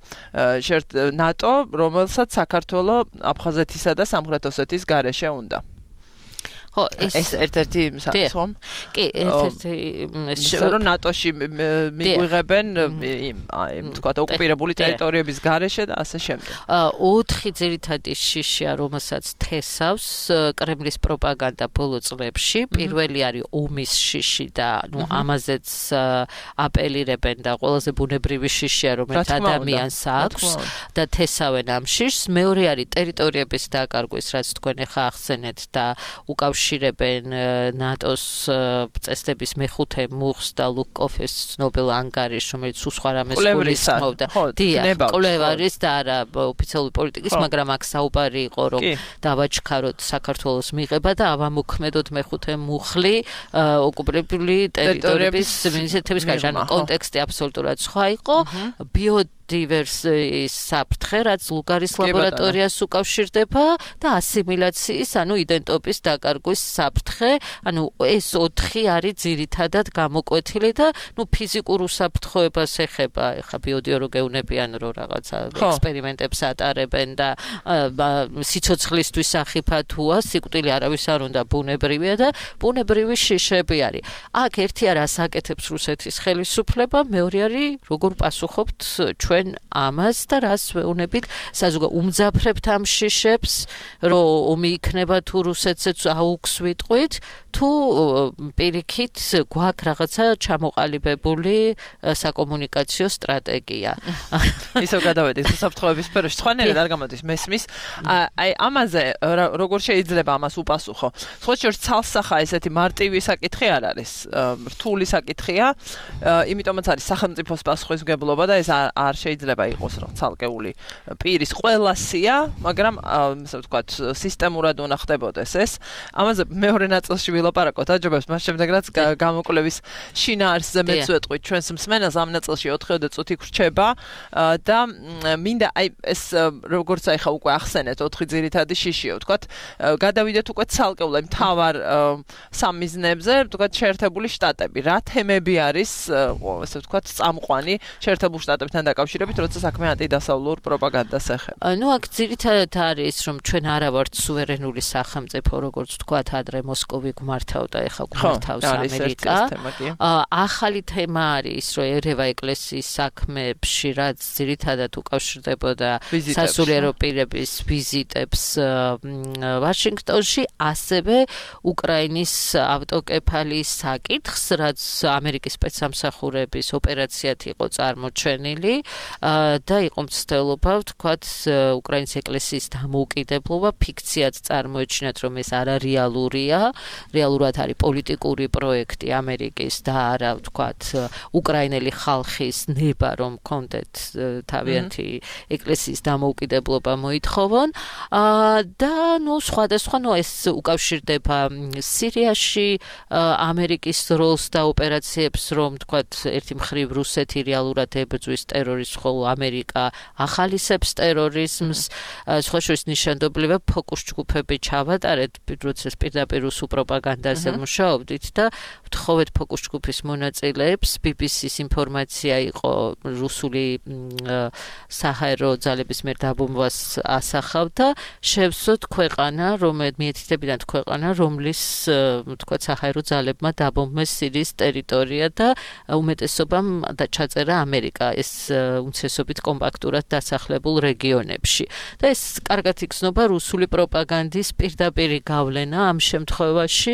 ნატო რომელსაც საქართველოს აფხაზეთისა და სამხრეთ ოსეთის გარეშე უნდა ხო ეს ერთ-ერთი სამ კი ერთ-ერთი რომ ნატოში მიგვიღებენ თქვა ოკუპირებული ტერიტორიების გარეშე და ასე შემდეგ. 4 ძირითადი შიშია, რომელსაც თესავს კრემლის პროპაგანდა ბოლო წლებში. პირველი არის ომის შიში და ნუ ამაზეც აპელირებენ და ყველაზე ბუნებრივი შიშია, რომელიც ადამიანს აქვს და თესავენ ამ შიშს. მეორე არის ტერიტორიების დაკარგვის, რაც თქვენ ახლა ახსენეთ და უკავშირებენ ნატოს წესდების მეხუთე მუხს და ლუკკოფის ცნობილ ანგარიშს, რომელიც სხვა რამეს გულისხმობდა. დიახ, კვლევარის და არა ოფიციალური პოლიტიკის, მაგრამ აქ საუბარი იყო, რომ დავაჩქაროთ საქართველოს მიღება და ავამოქმედოთ მეხუთე მუხლი ოკუპირებული ტერიტორიების მინისტრების გარშემო. კონტექსტი აბსოლუტურად სხვა იყო. დივერსიის საფრთხე, რაც ლუგარის ლაბორატორიას უკავშირდება და ასიმილაციის, ანუ იდენტობის დაკარგვის საფრთხე, ანუ ეს 4 არის ძირითადად გამოკვეთილი და ფიზიკურ უსაფრთხოებას ეხება, ეხა ბიოდიო რო გეუნებიან რო რაღაცა ექსპერიმენტებს ატარებენ და სიცოცხლისთვის სახიფა თუა, სიკვდილი არავის არ უნდა ბუნებრივია და ბუნებრივი შიშები არის. აქ ერთი არის აკეთებს რუსეთის ხელისუფლება, მეორე არის როგორ პასუხობთ ჩვენ ამას და რას ვეუბნებით საზოგადოებას უმძაფრებთ ამ შიშებს, რომ ომი იქნება თუ რუსეთზეც აუქს ვიტყვით, თუ პირიქით გვაქვს რაღაცა ჩამოყალიბებული საკომუნიკაციო სტრატეგია. ისევ გადავედით საფრთხეების სფეროში, სხვანაირად არ გამოდის მესმის. აი ამაზე როგორ შეიძლება ამას უპასუხო? სხვა შორს ცალსახა ესეთი მარტივი საკითხი არ არის, რთული საკითხია, იმიტომაც არის სახელმწიფოს პასუხისმგებლობა და ეს არ შეიძლება იყოს ცალკეული პირის ყველა სია, მაგრამ ასე ვთქვათ, სისტემურად უნდა ხდებოდეს ეს. ამაზე მეორე ნაწილში ვილაპარაკოთ, აჯობებს, მას შემდეგ რაც გამოკვლევის შინაარსზე მეც ვეტყვით ჩვენს მსმენელს, ამ ნაწილში 4 წუთი გრჩება და მინდა აი ეს როგორც აი ხა უკვე ახსენეთ 4 ძირითადი შიშიო, ვთქვათ, გადავიდეთ უკვე ცალკეულად მთავარ სამიზნებზე, ვთქვათ, შეერთებული შტატები. რა თემები არის, ასე ვთქვათ, წამყვანი შეერთებულ შტატებთან დაკავშირებით, როცა საქმე ანტიდასავლურ პროპაგანდას ეხება? აქ ძირითადად არის, რომ ჩვენ არა ვართ სუვერენული სახელმწიფო, როგორც ვთქვათ, ადრე მოსკოვი გმართავდა, ეხა გმართავს ამერიკა. ახალი თემა არის, რომ ერევა ეკლესიის საქმეებში, რაც ძირითადად უკავშირდებოდა სასულიერო პირების ვიზიტებს ვაშინგტონში, ასევე უკრაინის ავტოკეფალიის საკითხს, რაც ამერიკის სპეცსამსახურების ოპერაციად იყო წარმოჩენილი და იყო მცდელობა, ვთქვათ, უკრაინის ეკლესიის დამოუკიდებლობა, ფიქციად წარმოეჩინათ, რომ ეს არარეალურია, რეალურად არის პოლიტიკური პროექტი ამერიკის და არა, ვთქვათ, უკრაინელი ხალხის ნება, რომ კონდეთ თავიანთი ეკლესიის დამოუკიდებლობა მოითხოვონ და სხვადასხვა ეს უკავშირდება სირიაში ამერიკის როლს და ოპერაციებს, რომ ვთქვათ, ერთი მხრივ რუსეთი რეალურად ებრძვის ტერორიზმს, ხოლო ამერიკა ახალისებს ტერორიზმს, სხვა შორის ნიშანდობლივია ფოკუს ჯგუფები ჩავატარეთ, როდესაც პირდაპირ რუსულ პროპაგანდაზე მუშაობდით და ვთხოვეთ ფოკუს ჯგუფის მონაწილეებს, BBC-ს ინფორმაცია იყო რუსული საჰაერო ძალების მიერ დაბომბვას ასახავდა, შევსოთ ქვეყანა, მიეთითებინათ ქვეყანა, რომლის ვთქვათ, საჰაერო ძალებმა დაბომბეს სირიის ტერიტორია და უმეტესობამ ჩაწერა ამერიკა ეს უმცირესობით კომპაქტურად დასახლებულ რეგიონებში. და ეს კარგად იგრძნობა რუსული პროპაგანდის პირდაპირი გავლენა ამ შემთხვევაში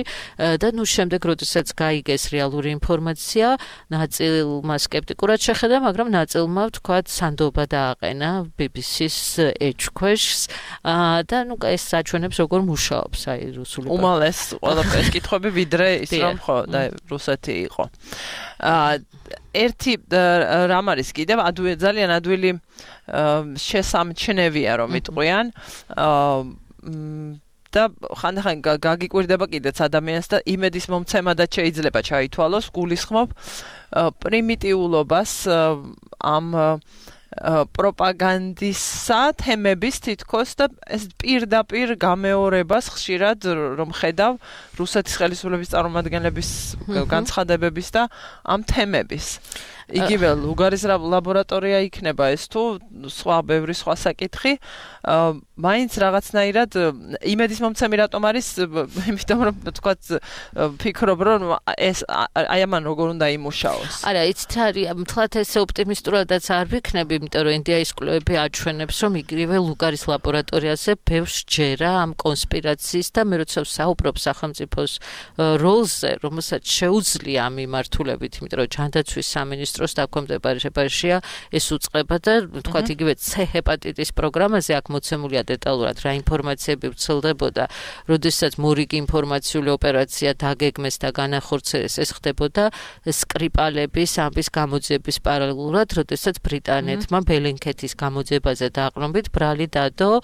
და შემდეგ, როდესაც გაიგეს რეალური ინფორმაცია, ნაწილმა სკეპტიკურად შეხედა, მაგრამ ნაწილმა, ვთქვათ, სანდობა დააყენა BBC-ს ეჭქვეშს და ეს საჩვენებს როგორ მუშაობს აი რუსული უმალეს ყველაფერს კითხვები ვიდრე ის რომ ხო და რუსეთი იყო. ერთი რამ არის კიდევ ძალიან ადვილი შესამჩნევია რომ იტყვიან და ხანდახან გაგიკვირდება კიდეც ადამიანს და იმედის მომცემად შეიძლება ჩაითვალოს, გულისხმობ პრიმიტიულობას ამ პროპაგანდისა თემების თითქოს და ეს პირდაპირ გამეორებას ხშირად რომ ხედავ რუსეთის ხელისუფლების წარმომადგენლების განცხადებების და ამ თემების. იგივე ლუგარის ლაბორატორია იქნება ეს თუ ბევრი სხვა საკითხი, მაინც რაღაცნაირად იმედის მომცემი რატომ არის, იმიტომ რომ თქვათ ფიქრობ რომ ეს აი ამან როგორ უნდა იმუშაოს. არა, იცით არის, მთლად ესე ოპტიმისტურადაც არ ვიქნები, იმიტომ რომ ინდიის კვლევები აჩვენებს, რომ იგივე ლუგარის ლაბორატორიაზე ბევრს ჯერა ამ კონსპირაციის და მე როცა ვსაუბრობ სახელმწიფოს როლზე, რომელსაც შეუძლია ამ მიმართულებით, იმიტომ რომ ჯანდაცვის სამინისტროს დაქვემდებარებაშია ეს უწყება და თქვათ იგივე C ჰეპატიტის პროგრამაზე აქ მოცემულია დეტალურად რა ინფორმაციები ვრცელდებოდა, როდესაც მორიგი ინფორმაციული ოპერაცია დაგეგმეს და განახორციელეს, ეს ხდებოდა სკრიპალების ამბის გამოძიების პარალელურად, როდესაც ბრიტანეთმა რუსეთმა ბელენკეთის გამოძიებაზე დაყრდნობით ბრალი დადო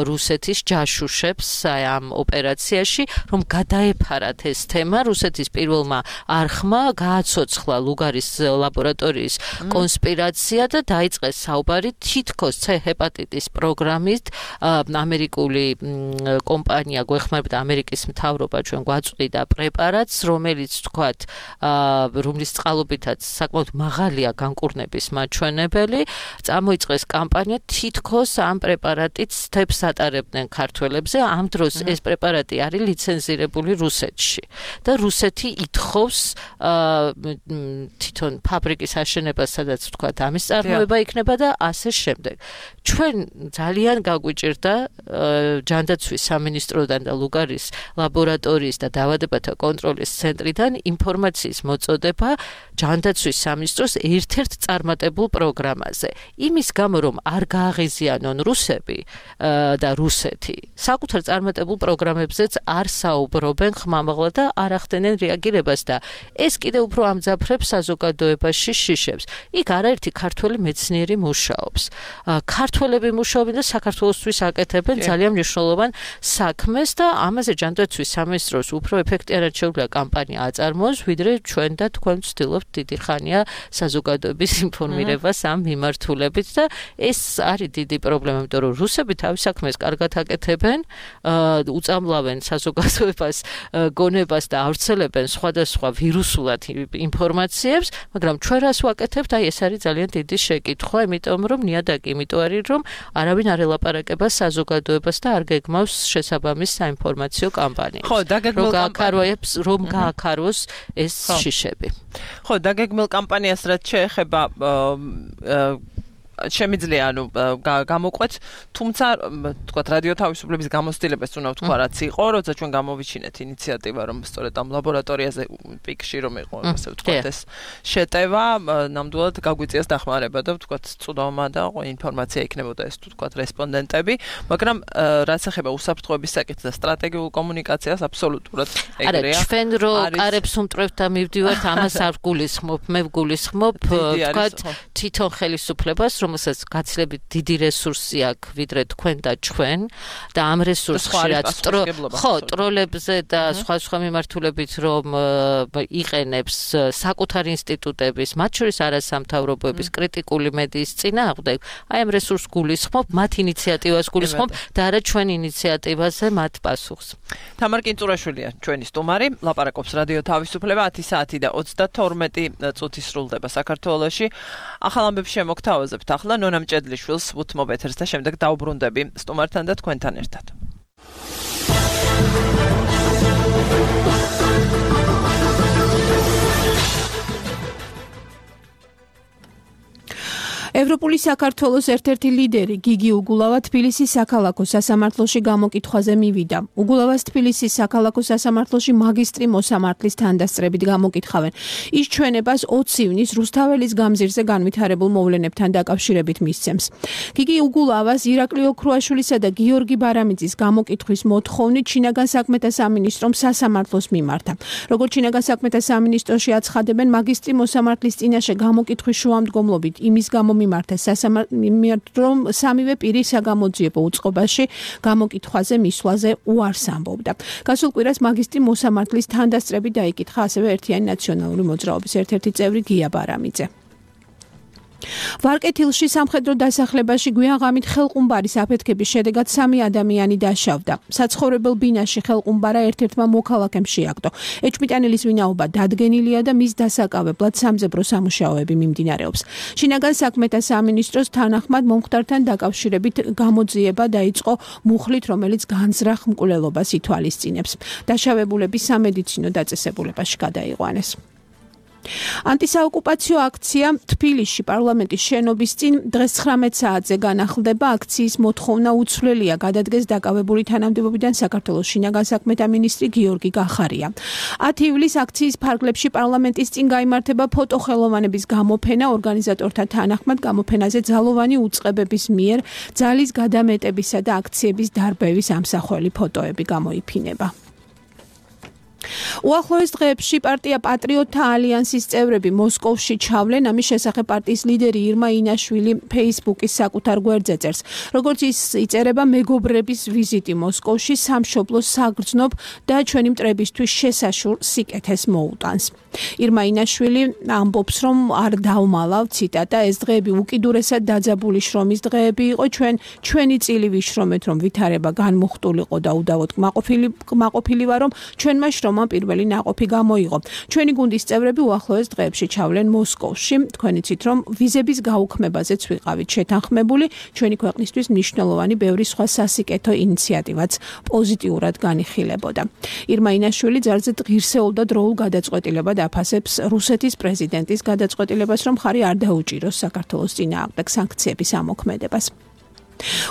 რუსეთის ჯაშუშებს ამ ოპერაციაში, რომ გადაეფარათ ეს თემა რუსეთის პირველმა არხმა გააცოცხლა ლუგარის ლაბორატორიის კონსპირაცია და დაიწყეს საუბარი თითქოს C ჰეპატიტის პროგრამით ამერიკული კომპანია გვეხმარებდა ამერიკის მთავრობა ჩვენ გვაწყვიდა პრეპარატს, რომელიც თქვათ რომლის წყალობითაც საკმაოდ მაღალია განკურნების მაჩვენებელი, წამოიწყეს კამპანია თითქოს ამ პრეპარატით თებს ატარებდნენ ქართველებზე, ამ დროს ეს პრეპარატი არის ლიცენზირებული რუსეთში და რუსეთი ითხოვს თვითონ ფაბრიკის აშენებას, სადაც თქვათ ამის წარმოება იქნება და ასე შემდეგ. ჩვენ ძალიან გაგვიჭირდა ჯანდაცვის სამინისტროდან და ლუგარის ლაბორატორიის და დაავადებათა კონტროლის ცენტრიდან ინფორმაციის მოწოდება ჯანდაცვის სამინისტროს ერთ-ერთ წარმატებულ პროგრამაზე. იმის გამო, რომ არ გააღიზიანონ რუსები და რუსეთი, საკუთარ წარმატებულ პროგრამებზეც არ საუბრობენ ხმამაღლა და არ ახდენენ რეაგირებას და ეს კიდევ უფრო ამძაფრებს საზოგადოებაში შიშებს. იქ არაერთი ქართველი მეცნიერი მუშაობს. ქართველები მუშაობენ და საქართველოსთვის აკეთებენ ძალიან მნიშვნელოვან საქმეს და ამაზე ჯანდაცვის სამინისტროს უფრო ეფექტიანად შეუძლია კამპანია აწარმოოს, ვიდრე ჩვენ და თქვენ ვცდილობთ დიდი ხანია საზოგადოების ინფორმირებას ამ მიმართულებით და ეს არის დიდი პრობლემა, იმიტომ რომ რუსები თავის საქმეს კარგად აკეთებენ, უწამლავენ საზოგადოებას გონებას და ავრცელებენ სხვადასხვა ვირუსულად ინფორმაციებს, მაგრამ ჩვენ რას ვაკეთებთ? აი ეს არის ძალიან დიდი შეკითხვა, იმიტომ რომ ნიადაგი იმიტომ არის, რომ არავინ არ ელაპარაკება საზოგადოებას და არ გეგმავს შესაბამის საინფორმაციო კამპანიას. ხო, რომ გააქაროს ეს შიშები. ხო, დაგეგმილ კამპანიას რაც შეეხება შემიძლია გამოყვეთ, თუმცა თქვა რადიო თავისუფლების გამოცდილებას უნდა ვთქვა რაც იყო, როცა ჩვენ გამოვიჩინეთ ინიციატივა, რომ სწორედ ამ ლაბორატორიაზე პიკში რომ იყო, ასე ვთქვათ, ეს შეტევა, ნამდვილად გაგვიწიეს დახმარება და ვთქვათ, წვდომა და ინფორმაცია იქნებოდა ეს ვთქვათ რესპონდენტები, მაგრამ რაც ეხება უსაფრთხოების საკითხს და სტრატეგიულ კომუნიკაციას აბსოლუტურად ეგრეა. არა, ჩვენ რო კარებს უმტრევთ და მივდივართ, ამას არ გულისხმობ, მე ვგულისხმობ, ვთქვათ, თვითონ ხელისუფლებას, რომელსაც გაცილებით დიდი რესურსი აქვს ვიდრე თქვენ და ჩვენ და ამ რესურსში რაც ტროლებზე და სხვა მიმართულებით რომ იყენებს საკუთარ ინსტიტუტების, მათ შორის არასამთავრობოების კრიტიკული მედიის წინააღმდეგ, აი ამ რესურსს გულისხმობ, მათ ინიციატივას გულისხმობ და არა ჩვენ ინიციატივაზე მათ პასუხს. თამარ კინწურაშვილია ჩვენი სტუმარი, ლაპარაკობს რადიო თავისუფლება 10 საათი და 32 წუთი სრულდება საქართველოში. ახალ ამბებს შემოგთავაზებთ ახლა ნონა მჭედლიშვილს უთმობ ეთერს და შემდეგ დავბრუნდები სტუმართან და თქვენთან ერთად. ევროპული საქართველოს ერთ-ერთი ლიდერი გიგი უგულავა თბილისის საქალაქო სასამართლოში გამოკითხვაზე მივიდა. უგულავას თბილისის საქალაქო სასამართლოში მაგისტრი მოსამართლის თანდასწრებით გამოკითხავენ. ის ჩვენებას 20 ივნის რუსთაველის გამზირზე განვითარებულ მოვლენებთან დაკავშირებით მისცემს. გიგი უგულავას ირაკლი ოქრუაშვილისა და გიორგი ბარამიძის გამოკითხვის მოთხოვნით შინაგან საქმეთა სამინისტრომ სასამართლოს მიმართა. როგორც შინაგან საქმეთა სამინისტროში აცხადებენ, მაგისტრი მოსამართლის წინაშე გამოკითხვის შუამდგომლობით იმის გამო მიმართა რომ სამივე პირი საგამოძიებო უწყობაში გამოკითხვაზე მისვლაზე უარს ამბობდა. გასულ კვირას მაგისტრი მოსამართლის თანდასწრებით დაიკითხა ასევე ერთიანი ნაციონალური მოძრაობის ერთ-ერთი წევრი გია ბარამიძე. ვარკეთილში სამხედრო დასახლებაში გვიანღამით ხელყუმბარის აფეთქების შედეგად 3 ადამიანი დაშავდა. საცხოვრებელ ბინაში ხელყუმბარა ერთ-ერთმა მოქალაქემ შეაგდო. ეჭვმიტანილის ვინაობა დადგენილია და მის დასაკავებლად სამძებრო სამუშაოები მიმდინარეობს. შინაგან საქმეთა სამინისტროს თანახმად მომხდართან დაკავშირებით გამოძიება დაიწყო მუხლით, რომელიც განზრახ მკვლელობას ითვალისწინებს. დაშავებულები სამედიცინო დაწესებულებაში გადაიყვანეს. ანტისაოკუპაციო აქცია თბილისში პარლამენტის შენობის წინ დღეს 19 საათზე განახლდება. აქციის მოთხოვნა უცვლელია, გადადგეს დაკავებული თანამდებობიდან საქართველოს შინაგან საქმეთა მინისტრი გიორგი გახარია. 10 ივლისს აქციის ფარგლებში პარლამენტის წინ გაიმართება ფოტოხელოვანების გამოფენა. ორგანიზატორთა თანახმად გამოფენაზე ძალოვანი უწყებების მიერ ძალის გადამეტებისა და აქციების დარბევის ამსახველი ფოტოები გამოიფინება. უახლოეს დღეებში პარტია პატრიოტთა ალიანსის წევრები მოსკოვში ჩავლენ, ამის შესახებ პარტიის ლიდერი ირმა ინაშვილი Facebook-ის საკუთარ გვერდზე წერს. როგორც ის იწერება, მეგობრების ვიზიტი მოსკოვში სამშობლოს საგრძნობ და ჩვენი მტრებისთვის შესაშურ სიკეთეს მოუტანს. ირმა ინაშვილი ამბობს, რომ არ დავმალავ, ციტატა, ეს დღეები უკიდურესად დაძაბული შრომის დღეები იყო, ჩვენი წილი ვიშრომეთ, რომ ვითარება განმუხტულიყო და უდავოდ კმაყოფილი ვარ, რომ ჩვენმა შრომამ პირველი ნაყოფი გამოიღო. ჩვენი გუნდის წევრები უახლოეს დღეებში ჩავლენ მოსკოვში. თქვენ იცით, რომ ვიზების გაუქმებაზეც ვიყავით შეთანხმებული, ჩვენი ქვეყნისთვის მნიშვნელოვანი ბევრი სხვა სასიკეთო ინიციატივაც პოზიტიურად განიხილებოდა. ირმა ინაშვილი ძალზედ ღირსეულ და დროულ გადაწყვეტილებად აფასებს რუსეთის პრეზიდენტის გადაწყვეტილებას, რომ ხარი არ დაუჭიროს საქართველოს წინააღმდეგ სანქციების ამოქმედებას.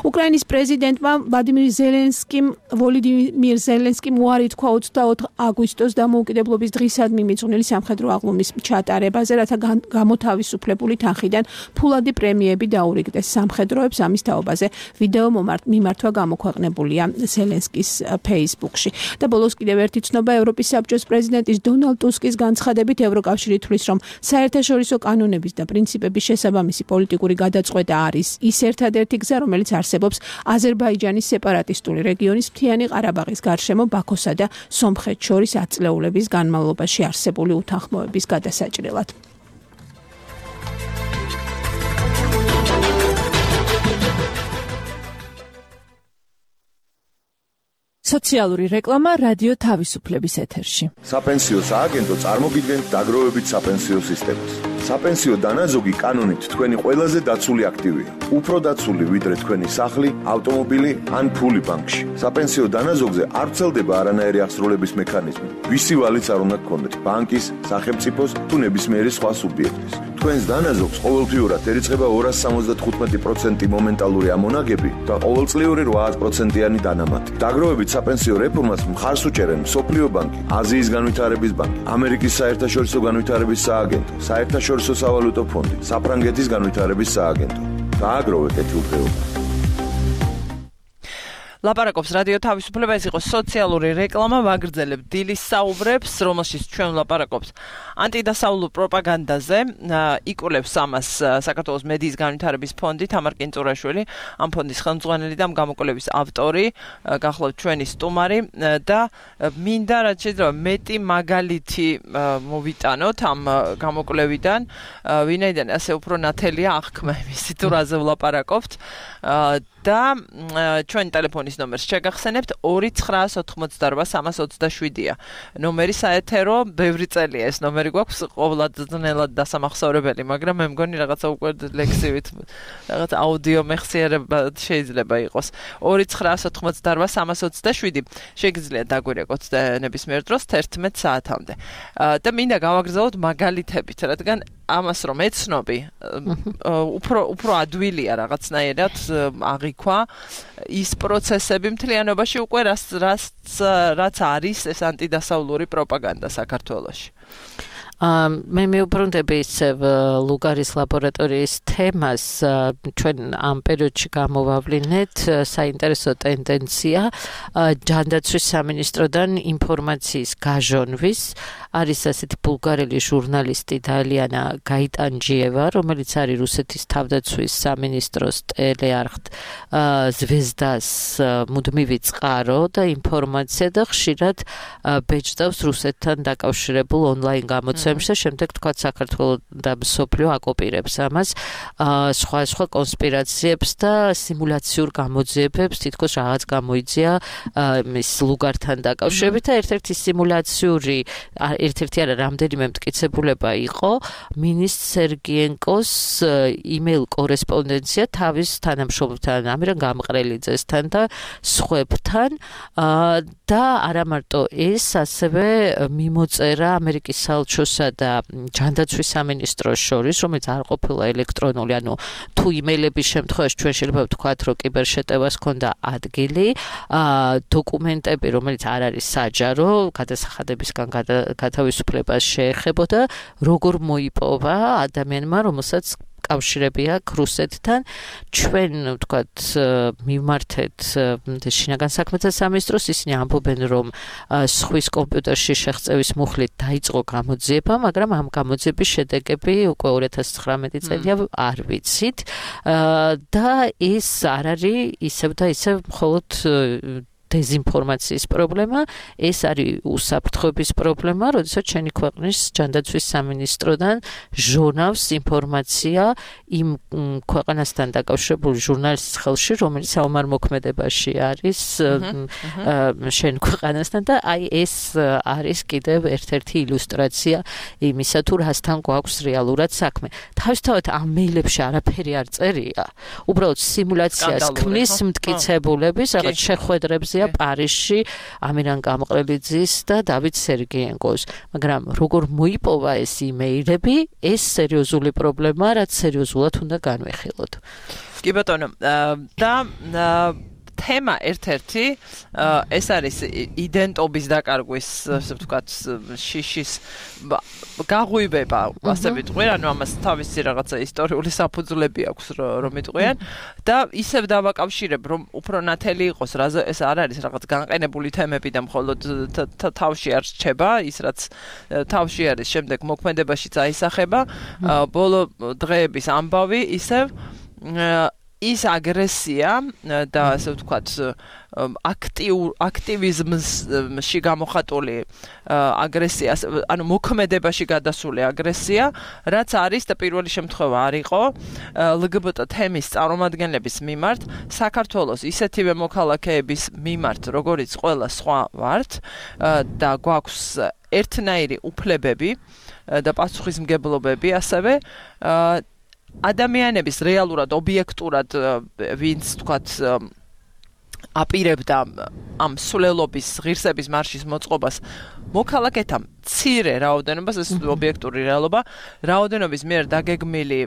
უკრაინის პრეზიდენტმა ვლადიმირ ზელენსკიმ უარი თქვა 24 აგვისტოს დამოუკიდებლობის დღისადმი მიძღვნილი სამხედრო აღლუმის ჩატარებაზე, რათა გამოთავისუფლებული თანხიდან ფულადი პრემიები დაურიგდეს სამხედროებს. ამის თაობაზე ვიდეო მიმართვა გამოქვეყნებულია ზელენსკის Facebook-ში. და ბოლოს კიდევ ერთი ცნობა, ევროპის საბჭოს პრეზიდენტის დონალდ ტუსკის განცხადებით ევროკავშირი თვლის, რომ საერთაშორისო კანონების და პრინციპების შესაბამისი პოლიტიკური გადაწყვეტა არის ის ერთადერთი გზა, რომელიც არსებობს აზერბაიჯანის სეპარატისტული რეგიონის მთიანი ყარაბაღის გარშემო ბაქოსა და სომხეთს შორის ათწლეულების განმავლობაში არსებული უთანხმოების გადასაჭრელად. სოციალური რეკლამა რადიო თავისუფლების ეთერში. საპენსიო სააგენტო წარმოგიდგენთ დაგროვებით საპენსიო სისტემას. საპენსიო დანაზოგი კანონით თქვენი ყველაზე დაცული აქტივია. უფრო დაცული ვიდრე თქვენი სახლი, ავტომობილი ან ფული ბანკში. საპენსიო დანაზოგზე არ ვრცელდება არანაირი აღსრულების მექანიზმი. ვისი ვალიც არ უნდა გქონდეთ, ბანკის, სახელმწიფოს თუ ნებისმიერი სხვა სუბიექტის. თქვენს დანაზოგს ყოველთვიურად ერიცხება 275% მომენტალური ამონაგები და ყოველწლიური 8%-იანი დანამატი. დაგროვებით საპენსიო რეფორმას მხარს უჭერენ მსოფლიო ბანკი, აზიის განვითარების ბანკი, ამერიკის საერთაშორისო განვითარების სააგენტო, საერთაშორისო სავალუტო ფონდი, საფრანგეთის განვითარების სააგენტო. დააგროვეთ ეთილდღეობა. ლაპარაკობს რადიო თავისუფლება, ეს იყო სოციალური რეკლამა, ვაგრძელებ დილის საუბრებს, რომელშიც ჩვენ ლაპარაკობს ანტიდასავლურ პროპაგანდაზე, იკვლევს ამას საქართველოს მედიის განვითარების ფონდი, თამარ კინწურაშვილი, ამ ფონდის ხელმძღვანელი და ამ გამოკვლევის ავტორი, გახლავთ ჩვენი სტუმარი და მინდა რაც შეიძლება მეტი მაგალითი მოვიტანოთ ამ გამოკვლევიდან, ვინაიდან ასე უფრო ნათელია აღქმა იმისი თუ რაზე ვლაპარაკობთ და ჩვენი ტელეფონის ნომერს შეგახსენებთ 2988327-ია. ნომერი საეთერო, ბევრი წელია ეს ნომერი გვაქვს, ყოველდღიურად დასამახსოვრებელი, მაგრამ მე მგონი რაღაცა უკვე ლექსივით, რაღაც აუდიო მეხსიერება შეიძლება იყოს. 2988327 შეგიძლიათ დაგვირეკოთ ნებისმიერ დროს 11 საათამდე. და მინდა გავაგრძელოთ მაგალითებით, რადგან ამას რომ ეცნობი, უფრო ადვილია რაღაცნაირად აღიქვა ის პროცესები მთლიანობაში უკვე რაც არის ეს ანტიდასავლური პროპაგანდა საქართველოში. მე მეუბრუნდები ისევ ლუგარის ლაბორატორიის თემას, ჩვენ ამ პერიოდში გამოვავლინეთ საინტერესო ტენდენცია ჯანდაცვის სამინისტროდან ინფორმაციის გაჟონვის. არის ასეთი ბულგარელი ჟურნალისტი დალიანა გაიტანჯიევა, რომელიც არის რუსეთის თავდაცვის სამინისტროს ტელეარხ ზვეზდას მუდმივი წყარო და ინფორმაცია და ხშირად ბეჭდავს რუსეთთან დაკავშირებულ ონლაინ გამოცემებს და შემდეგ თქვა საქართველოს და მსოფლიო აკოპირებს ამას სხვა კონსპირაციებს და სიმულაციურ გამოძიებებს, თითქოს რაღაც გამოიძია მის ლუგართან დაკავშირებით და ერთ-ერთი სიმულაციური ერთ-ერთი არა რამდენიმე მტკიცებულება იყო მინისტრ სერგიენკოს იმეილ კორესპონდენცია თავის თანამშრომელთან ამირან გამყრელიძესთან და სხვებთან და არა მარტო ეს, ასევე მიმოწერა ამერიკის საელჩოსა და ჯანდაცვის სამინისტროს შორის, რომელიც არ ყოფილა ელექტრონული, ანუ თუ იმეილების შემთხვევაში ჩვენ შეიძლება ვთქვათ, რომ კიბერშეტევას ჰქონდა ადგილი, დოკუმენტები, რომელიც არ არის საჯარო, გადასახადებისგან გათავისუფლებას შეეხებოდა, როგორ მოიპოვა ადამიანმა, რომელსაც კავშირები აქვს რუსეთთან. ჩვენ ვთქვათ მივმართეთ შინაგან საქმეთა სამინისტროს, ისინი ამბობენ რომ სხვის კომპიუტერში შეღწევის მუხლით დაიწყო გამოძიება, მაგრამ ამ გამოძიების შედეგები უკვე 2019 წელია არ ვიცით და ეს არ არის ისევ და ისევ მხოლოდ დეზინფორმაციის პრობლემა, ეს არის უსაფრთხოების პრობლემა, როდესაც ჩვენი ქვეყნის ჯანდაცვის სამინისტროდან ჟურნავს ინფორმაცია იმ ქვეყანასთან დაკავშირებული ჟურნალისტის ხელში, რომელიც საომარ მოქმედებაში არის შენ ქვეყანასთან და აი ეს არის კიდევ ერთ-ერთი ილუსტრაცია იმისა, თუ რასთან გვაქვს რეალურად საქმე. თავისთავად ამ მეილებში არაფერი არ წერია. უბრალოდ სიმულაციას ქმნის მტკიცებულების რაღაც შეხვედრებზე პარიზში ამირან გამყრელიძის და დავით სერგეენკოს, მაგრამ როგორ მოიპოვა ეს იმეილები, ეს სერიოზული პრობლემაა, რაც სერიოზულად უნდა განვიხილოთ. კი ბატონო, და თემა ერთ-ერთი ეს არის იდენტობის დაკარგვის, ასე ვთქვათ, შიშის გაღვივება, ასე ვიტყვი, ანუ ამას თავისი რაღაცა ისტორიული საფუძვლები აქვს, რომ იტყვიან და ისევ დავაკავშირებ, რომ უფრო ნათელი იყოს, ეს არ არის რაღაც განყენებული თემები და მხოლოდ თავში არ რჩება, ის რაც თავში არის, შემდეგ მოქმედებაში წაისახება, ბოლო დღეების ამბავი ისევ ის აგრესია და ასე ვთქვათ აქტივიზმში გამოხატული აგრესია, ანუ მოქმედებაში გადასული აგრესია, რაც არის და პირველი შემთხვევა არ იყო LGBT თემის წარმომადგენლების მიმართ, საქართველოს ისეთივე მოქალაქეების მიმართ, როგორიც ყველა სხვა ვართ და გვაქვს ერთნაირი უფლებები და პასუხისმგებლობები ასევე ადამიანების რეალურად ობიექტურად ვინც თქვათ აპირებდა ამ სულელობის ღირსების მარშის მოწყობას მოქალაქეთა მცირე რაოდენობას, ეს ობიექტური რეალობა, რაოდენობის მიერ დაგეგმილი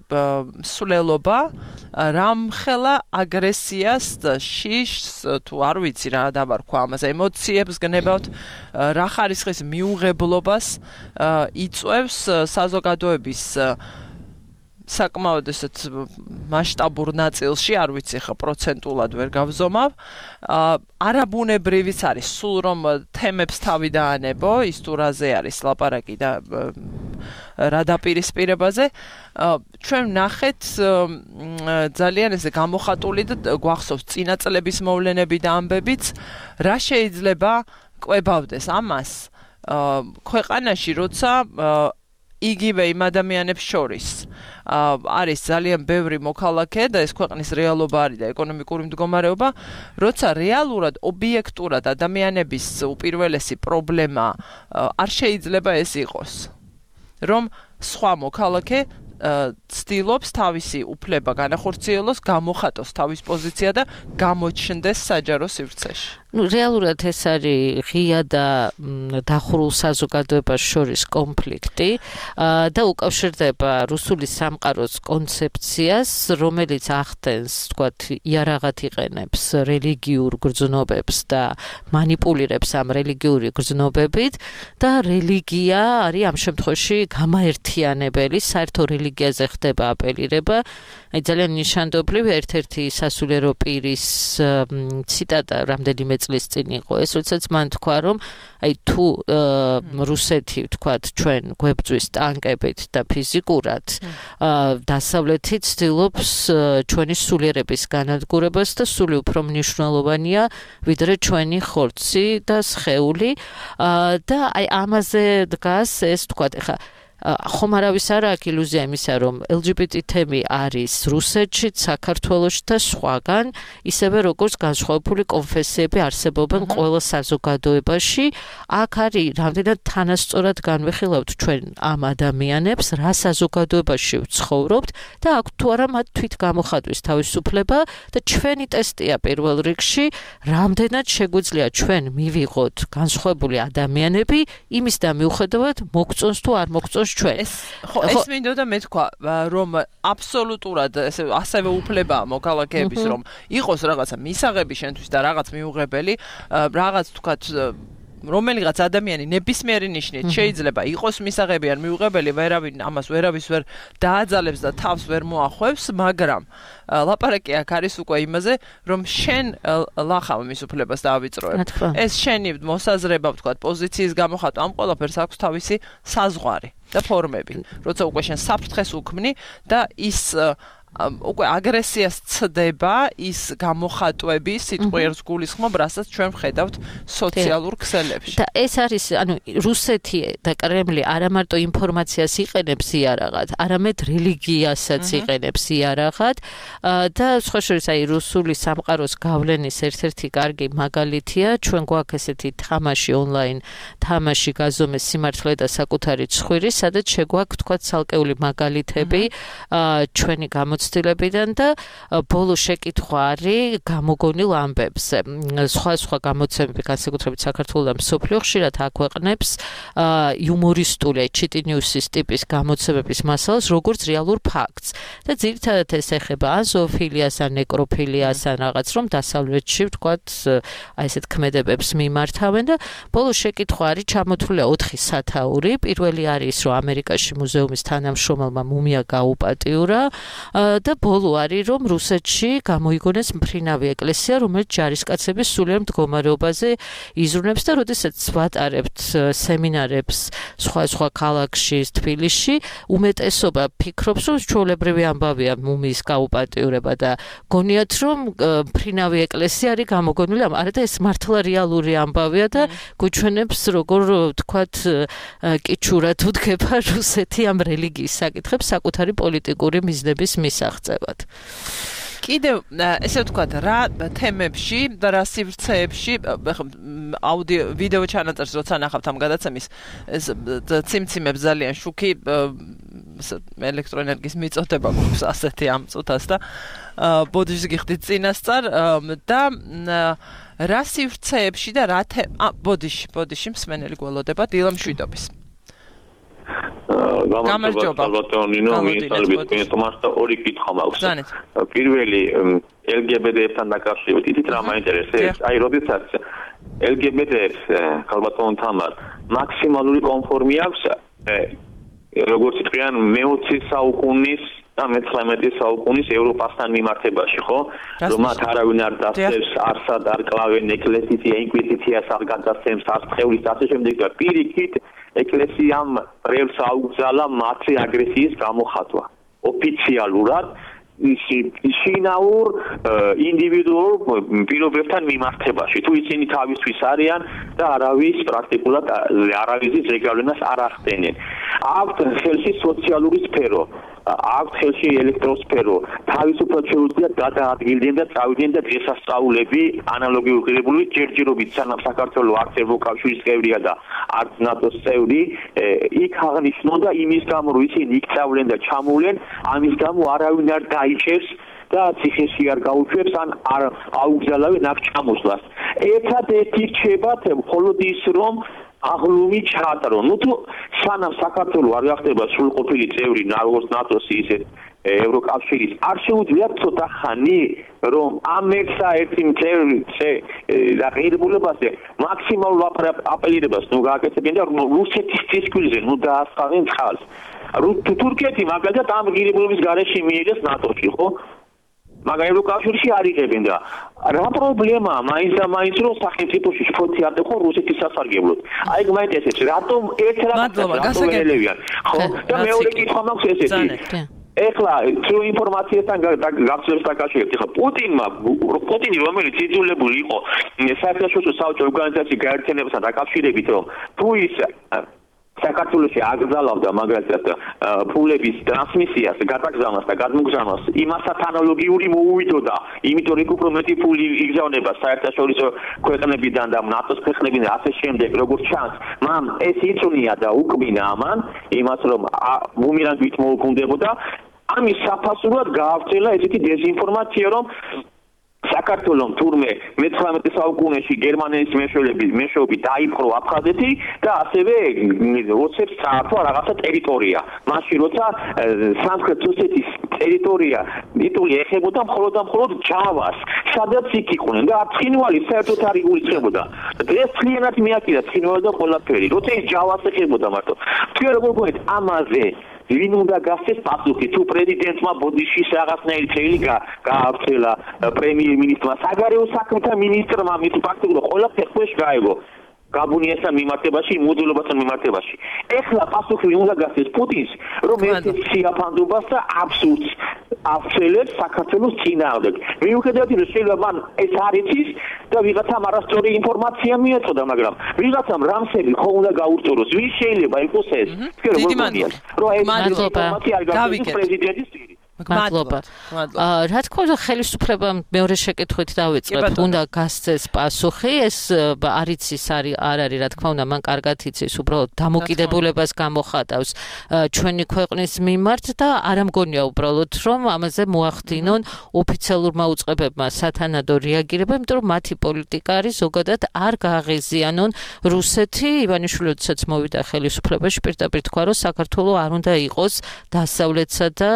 სულელობა რამხელა აგრესიას შიშს თუ არ ვიცი რა დავარქვა ამაზე ემოციებს გნებავთ რა ხარისხის მიუღებლობას იწვევს საზოგადოების საკმაოდ ესეთ მასშტაბურ ნაწილში, არ ვიცი ხა პროცენტულად ვერ გავზომავ. არაბუნებრივიც არის, სულ რომ თემებს თავი დაანებო, ის თუ რაზე არის ლაპარაკი და რა დაპირისპირებაზე. ჩვენ ვნახეთ ძალიან ესე გამოხატული და გვახსოვს წინა წლების მოვლენები და ამბებიც, რა შეიძლება კვებავდეს ამას ქვეყანაში, როცა იგივე იმ ადამიანებს შორის არის ძალიან ბევრი მოქალაქე და ეს ქვეყნის რეალობა არის და ეკონომიკური მდგომარეობა, როცა რეალურად ობიექტურად ადამიანების უპირველესი პრობლემა არ შეიძლება ეს იყოს, რომ სხვა მოქალაქე ცდილობს თავისი უფლება განახორციელოს, გამოხატოს თავის პოზიცია და გამოჩნდეს საჯარო სივრცეში. რეალურად ეს არის ღია და დახურულ საზოგადოებას შორის კონფლიქტი და უკავშირდება რუსული სამყაროს კონცეფციას, რომელიც ახდენს, თქვათ, იარაღად იყენებს რელიგიურ გრძნობებს და манипуლირებს ამ რელიგიური გრძნობებით და რელიგია არის ამ შემთხვევაში გამაერთიანებელი, საერთო რელიგიაზე ხდება აპელირება. აი ძალიან ნიშანდობლივი ერთ-ერთი სასულიერო პირის ციტატა რამდენიმე წლის წინ იყო ეს, როდესაც მან თქვა, რომ აი თუ რუსეთი, ვთქვათ, ჩვენ გვებძვის ტანკებით და ფიზიკურად, დასავლეთი ცდილობს ჩვენი სულიერების განადგურებას და სული უფრო მნიშვნელოვანია, ვიდრე ჩვენი ხორცი და სხეული და აი ამაზე დგას ეს, ვთქვათ, ეხა ხომ არავის არ აქვს ილუზია იმისა, რომ LGBT თემი არის რუსეთში, საქართველოში და სხვაგან, ისევე როგორც განსხვავებული კონფესიები არსებობენ ყველა საზოგადოებაში. აქ არის რამდენად თანასწორად განვიხილავთ ჩვენ ამ ადამიანებს, რა საზოგადოებაში ვცხოვრობთ და აქ თუ არა მათ თვით გამოხატვის თავისუფლება და ჩვენი ტესტია პირველ რიგში, რამდენად შეგვიძლია ჩვენ მივიღოთ განსხვავებული ადამიანები, იმის და მიუხედავად მოგწონს თუ არ მოგწონს ჩვენ. ეს მინდოდა მე თქვა, რომ აბსოლუტურად ასევე უფლებაა მოქალაქეების, რომ იყოს რაღაცა მისაღები შენთვის და რაღაც მიუღებელი, რაღაც თქვათ რომელიღაც ადამიანი ნებისმიერი ნიშნით შეიძლება იყოს მისაღები ან მიუღებელი, ამას ვერავის ვერ დააძალებს და თავს ვერ მოახვევს, მაგრამ ლაპარაკი აქ არის უკვე იმაზე, რომ შენ ლახავ მის უფლებას დავიწროებ. ეს შენი მოსაზრება, ვთქვათ, პოზიციის გამოხატვა, ამ ყველაფერს აქვს თავისი საზღვარი და ფორმები. როცა უკვე შენ საფრთხეს უქმნი და ის უკვე აგრესიას ცდება ის გამოხატვები სიტყვიერს გულისხმობ, რასაც ჩვენ ვხედავთ სოციალურ ქსელებში. და ეს არის, რუსეთი და კრემლი არა მარტო ინფორმაციას იყენებს იარაღად, არამედ რელიგიასაც იყენებს იარაღად და სხვა შორის რუსული სამყაროს გავლენის ერთ-ერთი კარგი მაგალითია, ჩვენ გვაქვს ესეთი თამაში ონლაინ, თამაში გაზომეს სიმართლე და საკუთარი ცხვირი, სადაც შეგვაქვს თქვა ცალკეული მაგალითები ჩვენი გამოცდილებიდან და ბოლო შეკითხვა არის გამოგონილ ამბებზე. სხვა გამოცემები, განსაკუთრებით საქართველოს და მსოფლიო ხშირად აქვეყნებს იუმორისტული ჩიტი ნიუსის ტიპის გამოცემების მასალას, როგორც რეალურ ფაქტს. და ძირითადად ეს ეხება ან ზოოფილიას, ან ნეკროფილიას, ან რაღაც, რომ დასავლეთში, ვთქვათ, ესეთ ქმედებებს მიმართავენ და ბოლო შეკითხვა არის ჩამოთვლილი 4 სათაური. პირველი არის, რომ ამერიკაში მუზეუმის თანამშრომელმა მუმია გაუპატიურა და ბოლო არის, რომ რუსეთში გამოიგონეს მფრინავი ეკლესია, რომელიც ჯარისკაცების სულიერ მდგომარეობაზე იზრუნებს და როდესაც ვატარებთ სემინარებს სხვა ქალაქში, თბილისში, უმეტესობა ფიქრობს, რომ ჩვეულებრივი ამბავია მუმიის გაუპატიურება და გონიათ, რომ მფრინავი ეკლესია არის გამოგონილი, არა და ეს მართლა რეალური ამბავია და გვიჩვენებს, როგორ ვთქვათ, კიჩურად უდგება რუსეთი ამ რელიგიის საკითხებს საკუთარი პოლიტიკური მიზნების მისაღწევად. კიდევ ესე ვთქვათ, რა თემებში და რა სივრცეებში აუდიო ვიდეო ჩანაწერს როცა ნახავთ ამ გადაცემის ეს ციმციმებს ძალიან შუქი ელექტროენერგიის მიწოდება გვაქვს ასეთი ამ წუთას და ბოდიშს გიხდით წინასწარ და რა სივრცეებში და რა ბოდიში მსმენელი გველოდება დილა მშვიდობის. გამარჯობა ბატონინო, მისალბეთ თომას და ორი კითხვა მაქვს. პირველი LGBT-თან დაკავშირებით, იცით რა მაინტერესებს? როდესაც LGBT-ს ხალბატონ თამარ მაქსიმალური კონფორმი აქვს, როგორც თქვენ მე-20 საუკუნის და მე-19 საუკუნის ევროპასთან მიმართებაში, ხო? რომ მათ არავინ არ დასწევს, არსად არ კლავენ ეკლესია, ინკვიზიციას არ გადასცემს, არც ხევლის ასე შემდეგ და პირიქით ეკლესიამ პრევს აუგზალა მათი აგრესიის გამოხატვა. ოფიციალურად შინაურ ინდივიდუალურ პირობებთან მიმართებაში. თუ ისინი თავისთვის არიან და არავის პრაქტიკულად არავის ზეგავლენას არ ახდენენ. აქვთ ხელში სოციალური სფერო, აქვთ ხელში ელექტროსფერო, თავისუფლად შეუძლიათ გადაადგილდნენ და წავიდნენ და დღესასწაულები ანალოგიურ ღირებულებით ჯერჯერობით სანამ საქართველოს არც ევროკავშირის წევრია და არც ნატოს წევრი, იქ აღნიშნულდა იმის გამო, რომ ისინი იქ წავლენ და ჩამოვლენ, ამის გამო არავინ არ დაიჭერს და ციხეში არ გაუშვებს ან არ აუგზალავენ აქ ჩამოსვლას. ერთადერთი რჩებათ მხოლოდ ის, რომ აღლუმი ჩაატარონ. თუ სანამ საქართველოს არ გახდება სრულყოფილი წევრი როგორც ნატოს ისე ევროკავშირის, არ შეუძლიათ ცოტა ხანი, რომ ამ ერთსა-ერთი ღირებულებაზე მაქსიმალურ აპელირებას გააკეთებენ და რუსეთის წისქვილზე დაასხავენ წყალს. თურქეთი მაგალითად ამ ღირებულების გარეშე მიიღეს ნატოში, ხო? მაგრამ ევროკავშირში არ იღებენ და რა პრობლემაა მაინც რომ სახელმწიფოში შფოთი არ დახო რუსეთის სასარგებლოდ. აი მაინტერესებს რატომ ერთ რაღაცას ელევიან, ხო? და მეორე კითხვა მაქვს ესეთი. ეხლა თუ ინფორმაციასთან გაცვლებს დაკავშირებით, ხა პუტინი რომელიც იძულებული იყო საერთაშორისო საბჭოთა ორგანიზაციის გაერთიანებასთან დაკავშირებით, რომ თუ ის საქართველოში აგზავნავდა მაგალითად ფულების ტრანსმისიას, გადაგზავნას და გადმოგზავნას, იმასთან ანალოგიური მოუვიდოდა, იმიტომ რომ უფრო მეტი ფული იგზავნება საერთაშორისო ქვეყნებიდან და ნატოს ქვეყნებიდან ასე შემდეგ, როგორც ჩანს, მან ეს იწვნია და უკმინა ამან, იმას რომ ბუმერანგით მოუქუნდებოდა, ამის საფასურად გაავრცელა ესეთი დეზინფორმაცია, რომ საქართველოს თურმე მე-19 საუკუნეში გერმანიის მეშვეობით დაიპყრო აფხაზეთი და ასევე ოცებს წაართვა რაღაცა ტერიტორია. მაშინ როცა სამხრეთ ოსეთის ტერიტორია იტული ეხებოდა მხოლოდ ჯავას, სადაც იქ იყვნენ და ცხინვალი საერთოდ არ იგულისხმებოდა. დღეს ძალიანად მიაკიდა ცხინვალი და ყველაფერი. როცა ის ჯავას ეხებოდა მარტო. თქვენ როგორ გქონდეთ ამაზე ვინ უნდა გასცეს პასუხი თუ პრეზიდენტმა ბოდიშის რაღაცნაირი წელი გაავრცელა პრემიერ-მინისტრმა საგარეო საქმეთა მინისტრმა მით ფაქტობრივად ყველაფერი ხუეშ გაეგო გაბუნიასთან მიმართებაში, მოდულობასთან მიმართებაში. ეხლა პასუხი უნდა გასცეს პუტინს, რომ ეს სიაფანდობას და აბსურდს აფცელებს საქართველოს წინააღმდეგ. მიუხედავად იმისა, რომ შეიძლება მან ეს არ იცის და ვიღაცამ არასწორი ინფორმაცია მიეწოდა, მაგრამ ვიღაცამ რამსები ხო უნდა გაურწოროს. ვის შეიძლება იყოს ეს? თქვენ როგორ გონიათ, რომ ეს ინფორმაცია არ გასცეს პრეზიდენტის წინ? მადლობა. რა თქმა უნდა, ხელისუფლებამ მეორე შეკითხვით დავიწყებ, უნდა გასცეს პასუხი, ეს არ იცის, არ არის, რა თქმა უნდა, მან კარგად იცის, უბრალოდ დამოკიდებულებას გამოხატავს ჩვენი ქვეყნის მიმართ და არ ამგონია უბრალოდ, რომ ამაზე მოახდინონ ოფიციალურმა უწყებებმა სათანადო რეაგირება, იმიტომ რომ მათი პოლიტიკა არის ზოგადად არ გააღიზიანონ რუსეთი. ივანიშვილიც მოვიდა ხელისუფლებაში, პირდაპირ თქვა, რომ საქართველოს არ უნდა იყოს დასავლეთსა და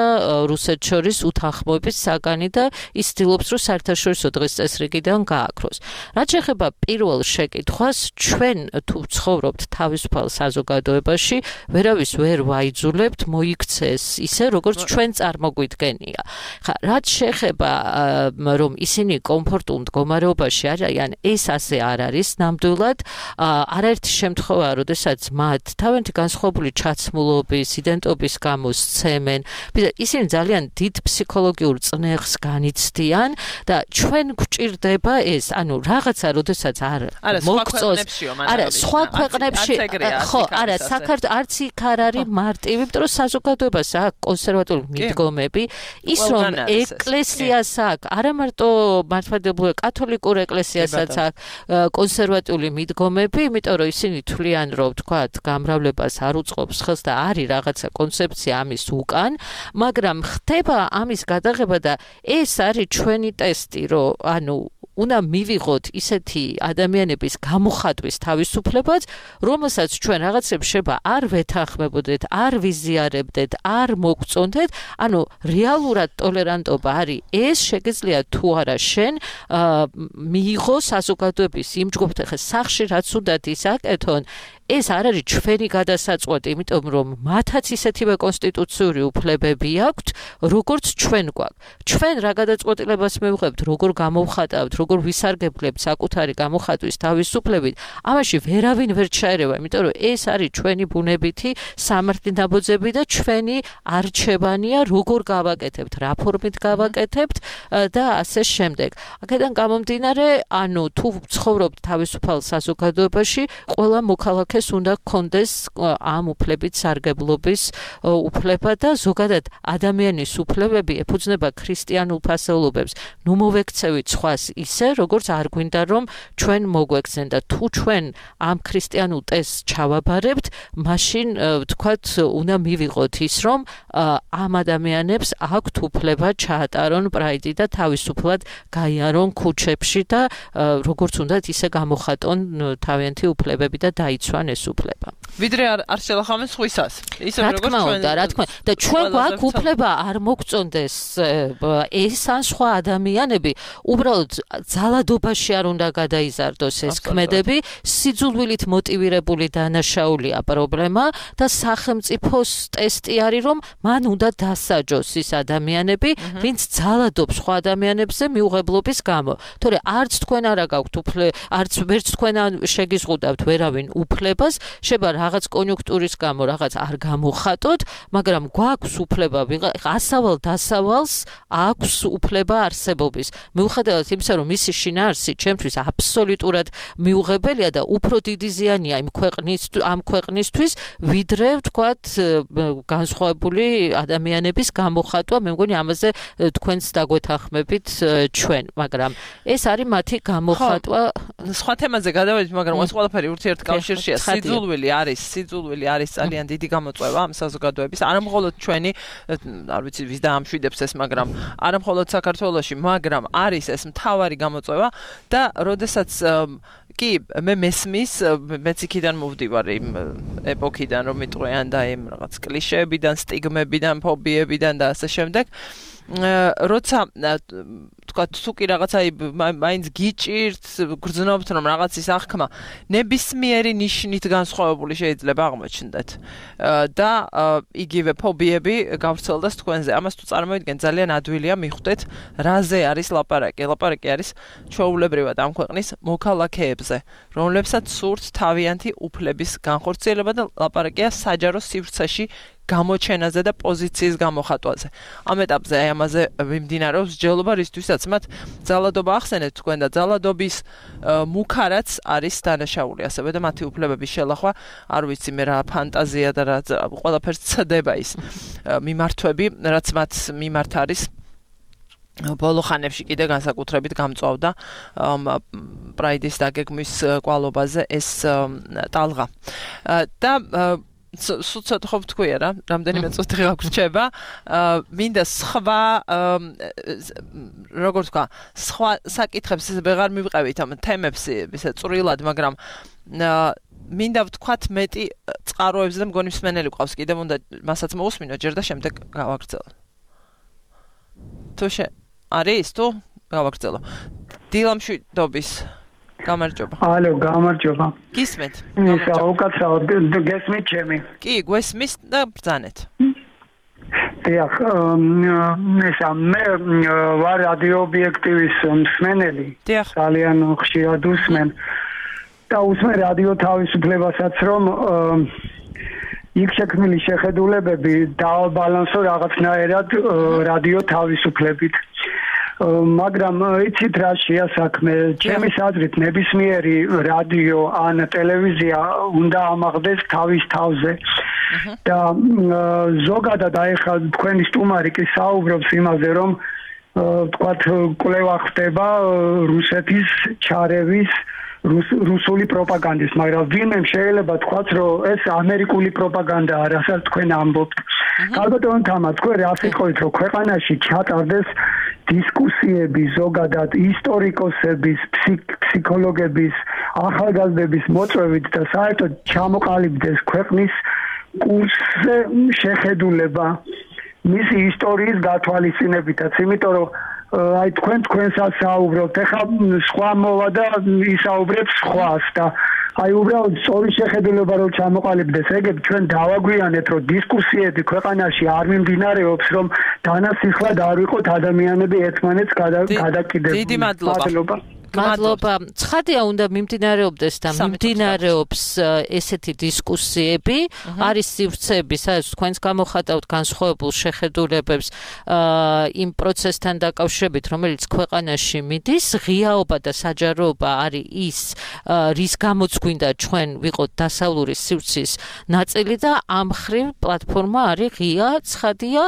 რუსეთის შორის უთანხმოების საგანი და ის ცდილობს, რომ საერთაშორისო დღის წესრიგიდან გააქროს. რაც შეეხება პირველ შეკითხვას, ჩვენ თუ ცხოვრობთ თავისუფალ საზოგადოებაში, ვერავის ვერ ვაიძულებთ მოიქცეს ისე, როგორც ჩვენ წარმოგვიდგენია. ხა, რაც შეეხება რომ ისინი კომფორტულ მდგომარეობაში არიან, ეს ასე არ არის ნამდვილად. არაერთი შემთხვევაა, როდესაც მათ თავიანთი განსხვავებული ჩაცმულობის, იდენტობის გამო სცემენ. ისინი ძალიან დიდ ფსიქოლოგიურ წნეხს განიცდიან და ჩვენ გვჭირდება ეს, ანუ რაღაცა, როდესაც არ მოგწოს, არა, სხვა ქვეყნებში, ხო, არა, საქართველოს არც იქ არ არის მარტივი, იმიტომ რომ საზოგადოებას აქვს კონსერვატიული მიდგომები, ის რომ ეკლესიას აქვს, არა მარტო მართლმადიდებლური კათოლიკურ ეკლესიასაც აქვს კონსერვატიული მიდგომები, იმიტომ რომ ისინი თვლიან, რომ თქვათ, გამრავლებას არ უწყობს ხელს და არის რაღაცა კონცეფცია ამის უკან, მაგრამ ხდება ამის გადაღება და ეს არის ჩვენი ტესტი, რომ ანუ უნდა მივიღოთ ისეთი ადამიანების გამოხატვის თავისუფლებაც, რომელსაც ჩვენ რაღაცებს შეიძლება არ ვეთანხმებოდეთ, არ ვიზიარებდეთ, არ მოგწონდეთ, ანუ რეალურად ტოლერანტობა არის ეს, შეგეძლია თუ არა შენ მიიღო საზოგადოების იმ ჯგუფთან, ხა სახში რაც უნდათ ის აკეთონ, ეს არ არის ჩვენი გადასაწყვეტი, იმიტომ რომ მათაც ისეთივე კონსტიტუციური უფლებები აქვთ, როგორც ჩვენ გვაქვს. ჩვენ რა გადაწყვეტილებას მივიღებთ, როგორ გამოვხატავთ, როგორ ვისარგებლებთ საკუთარი გამოხატვის თავისუფლებით, ამაში ვერავინ ვერ ჩაერევა, იმიტომ რომ ეს არის ჩვენი ბუნებითი სამართლის ნაბოძები და ჩვენი არჩევანია, როგორ გავაკეთებთ, რა ფორმით გავაკეთებთ და ასე შემდეგ. აქედან გამომდინარე, ანუ თუ ცხოვრობთ თავისუფალ საზოგადოებაში, ყველა მოქალაქე ეს უნდა გქონდეს ამ უფლებით სარგებლობის უფლება და ზოგადად ადამიანის უფლებები ეფუძნება ქრისტიანულ ფასეულობებს. ნუ მოვექცევით სხვას ისე, როგორც არ გვინდა რომ ჩვენ მოგვექცენ და თუ ჩვენ ამ ქრისტიანულ ტესტს ჩავაბარებთ, მაშინ ვთქვათ, უნდა მივიღოთ ის, რომ ამ ადამიანებს აქვთ უფლება ჩაატარონ პრაიდი და თავისუფლად გაიარონ ქუჩებში და როგორც უნდათ ისე გამოხატონ თავიანთი უფლებები და დაიცვან ეს უფლება. ვიდრე არ შელახავენ სხვისას. ისე როგორც ჩვენ რა თქმა უნდა, და ჩვენ გვაქვს უფლება არ მოგწონდეს ეს ან სხვა ადამიანები, უბრალოდ ძალადობაში არ უნდა გადაიზარდოს ეს ქმედები, სიძულვილით მოტივირებული დანაშაულია პრობლემა და სახელმწიფოს ტესტი არის, რომ მან უნდა დასაჯოს ის ადამიანები, ვინც ძალადობს სხვა ადამიანებზე მიუღებლობის გამო. თორე არც თქვენ არ გაქვთ არც ვერც თქვენ შეგიზღუდავთ ვერავინ უფლებას, შეიძლება რაღაც კონიუნქტურის გამო რაღაც არ გამოხატოთ, მაგრამ გვაქვს უფლება, ასავალ დასავალს აქვს უფლება არსებობის. მიუხედავად იმისა, რომ მისი შინაარსი ჩემთვის აბსოლუტურად მიუღებელია და უფრო დიდი ზიანია ამ ქვეყნისთვის, ვიდრე ვთქვათ განსხვავებული ადამიანების გამოხატვა, მე მგონი ამაზე თქვენს დაგვეთანხმებით ჩვენ, მაგრამ ეს არის მათი გამოხატვა. სხვა თემაზე გადავედით, მაგრამ ეს ყველაფერი ურთიერთკავშირშია. სიძულვილი არის არის სიძულვილი, არის ძალიან დიდი გამოწვევა ამ საზოგადოების, არა მხოლოდ ჩვენი, არ ვიცი ვის დაამშვიდებს ეს, მაგრამ არა მხოლოდ საქართველოში, მაგრამ არის ეს მთავარი გამოწვევა და როდესაც კი მე მესმის მეც იქიდან მოვდივარ იმ ეპოქიდან რომ მიტყვიან და იმ რაღაც კლიშეებიდან, სტიგმებიდან, ფობიებიდან და ასე შემდეგ როცა თქვა თუ კი რაღაცა მაინც გიჭირთ გრძნობთ რომ რაღაცის აღქმა ნებისმიერი ნიშნით განსხვავებული შეიძლება აღმოჩნდეთ და იგივე ფობიები გავრცელდეს თქვენზე ამას თუ წარმოვიდგენ ძალიან ადვილია მიხვდეთ რაზე არის ლაპარაკი ლაპარაკი არის ჩვეულებრივად ამ ქვეყნის მოქალაქეებზე რომლებსაც სურთ თავიანთი უფლების განხორციელება და ლაპარაკია საჯარო სივრცეში გამოჩენაზე და პოზიციის გამოხატვაზე. Ამ ეტაპზე აი ამაზე მიმდინარეობს მსჯელობა, რისთვისაც მათ ძალადობა ახსენეთ თქვენ და ძალადობის მუქარაც არის დანაშაული, ასევე და მათი უფლებების შელახვა, არ ვიცი მე რა ფანტაზია და რა ყველაფერს ცდება ის მიმართვები, რაც მათ მიმართ არის. ბოლო ხანებში კიდე განსაკუთრებით გამწვავდა პრაიდის დაგეგმვის კვალობაზე ეს ტალღა. და სუცად ხო ვთქვია რა, რამდენიმე წუთი გაგვრჩება. მინდა სხვა როგორ თქვა, სხვა საკითხებს ვეღარ მივყევით ამ თემებს ისე წვრილად, მაგრამ მინდა ვთქვათ მეტი წყაროებზე და მგონი მსმენელი ყავს კიდევ უნდა მასაც მოусმინო ჯერ და შემდეგ გავაგრძელო. თუ არის თუ გავაგრძელო. დილამშვიდობის გამარჯობა. ალო, გამარჯობა. გისმენთ? ისა უკაცრავად გესმით ჩემი? კი, გვესმის და ბრძანეთ. დიახ, ისა მე ვარ რადიო ობიექტივის მსმენელი. ძალიან ხშირად უსმენ. და უსმენ რადიო თავისუფლებასაც რომ იქ შექმნილი შეხედულებები დააბალანსო რაღაცნაირად რადიო თავისუფლებით. მაგრამ იცით რა შეასაქმე ჩემის აზრით ნებისმიერი რადიო ან ტელევიზია უნდა ამაღლდეს თავის თავზე და ზოგადად აი ხა თქვენი სტუმარი კი საუბრობს იმაზე რომ თქვათ კვლევა ხდება რუსეთის ჩარევის რუსული პროპაგანდის, მაგრამ ვინმე შეიძლება თქვათ, რომ ეს ამერიკული პროპაგანდაა, რასაც თქვენ ამბობთ. ალბათ თამა თქვენ რა სიტყვით, რომ ქვეყანაში ჩატარდეს დისკუსიები ზოგადად ისტორიკოსების, ფსიქოლოგების, ახალგაზრდების მოწვევით და საერთოდ ჩამოყალიბდეს ქვეყნის კურსზე შეხედულება მისი ისტორიის გათვალისწინებითაც, იმიტომ რომ აი თქვენსაც საუბრობთ, ეხლა სხვა მოვა და ისაუბრებს სხვას და აი უბრალოდ სწორი შეხედულება რომ ჩამოყალიბდეს, ეგრე ჩვენ დავაგვიანეთ, რომ დისკუსიები ქვეყანაში არ მიმდინარეობს, რომ დანასახლად არ ვიყოთ ადამიანები ერთმანეთს გადაკიდებულნი. დიდი მადლობა. მადლობა. ცხადია უნდა მიმდინარეობდეს და მიმდინარეობს ესეთი დისკუსიები, არის სივრცეები, სადაც თქვენს გამოხატავთ განსხვავებულ შეხედულებებს იმ პროცესთან დაკავშირებით, რომელიც ქვეყანაში მიდის, ღიაობა და საჯაროობა არის ის, რის გამოც გვინდა ჩვენ ვიყოთ დასავლური სივრცის ნაწილი და ამ ხრივ პლატფორმა არის ღია, ცხადია,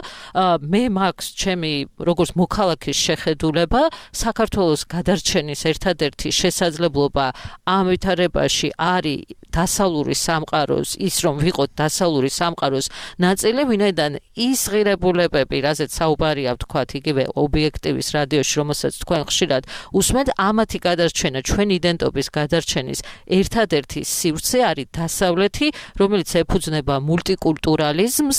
მე მაქვს ჩემი როგორც მოქალაქის შეხედულება საქართველოს გადარჩენის ერთადერთი შესაძლებლობა ამ ვითარებაში არის დასავლური სამყაროს, ის რომ ვიყოთ დასავლური სამყაროს ნაწილი, ვინაიდან ის ღირებულებები, რაზეც საუბარია ვთქვათ, იგივე ობიექტივის რადიოში, რომელსაც თქვენ ხშირად უსმენთ, ამათი გადარჩენა, ჩვენი იდენტობის გადარჩენის ერთადერთი სივრცე არის დასავლეთი, რომელიც ეფუძნება მულტიკულტურალიზმს,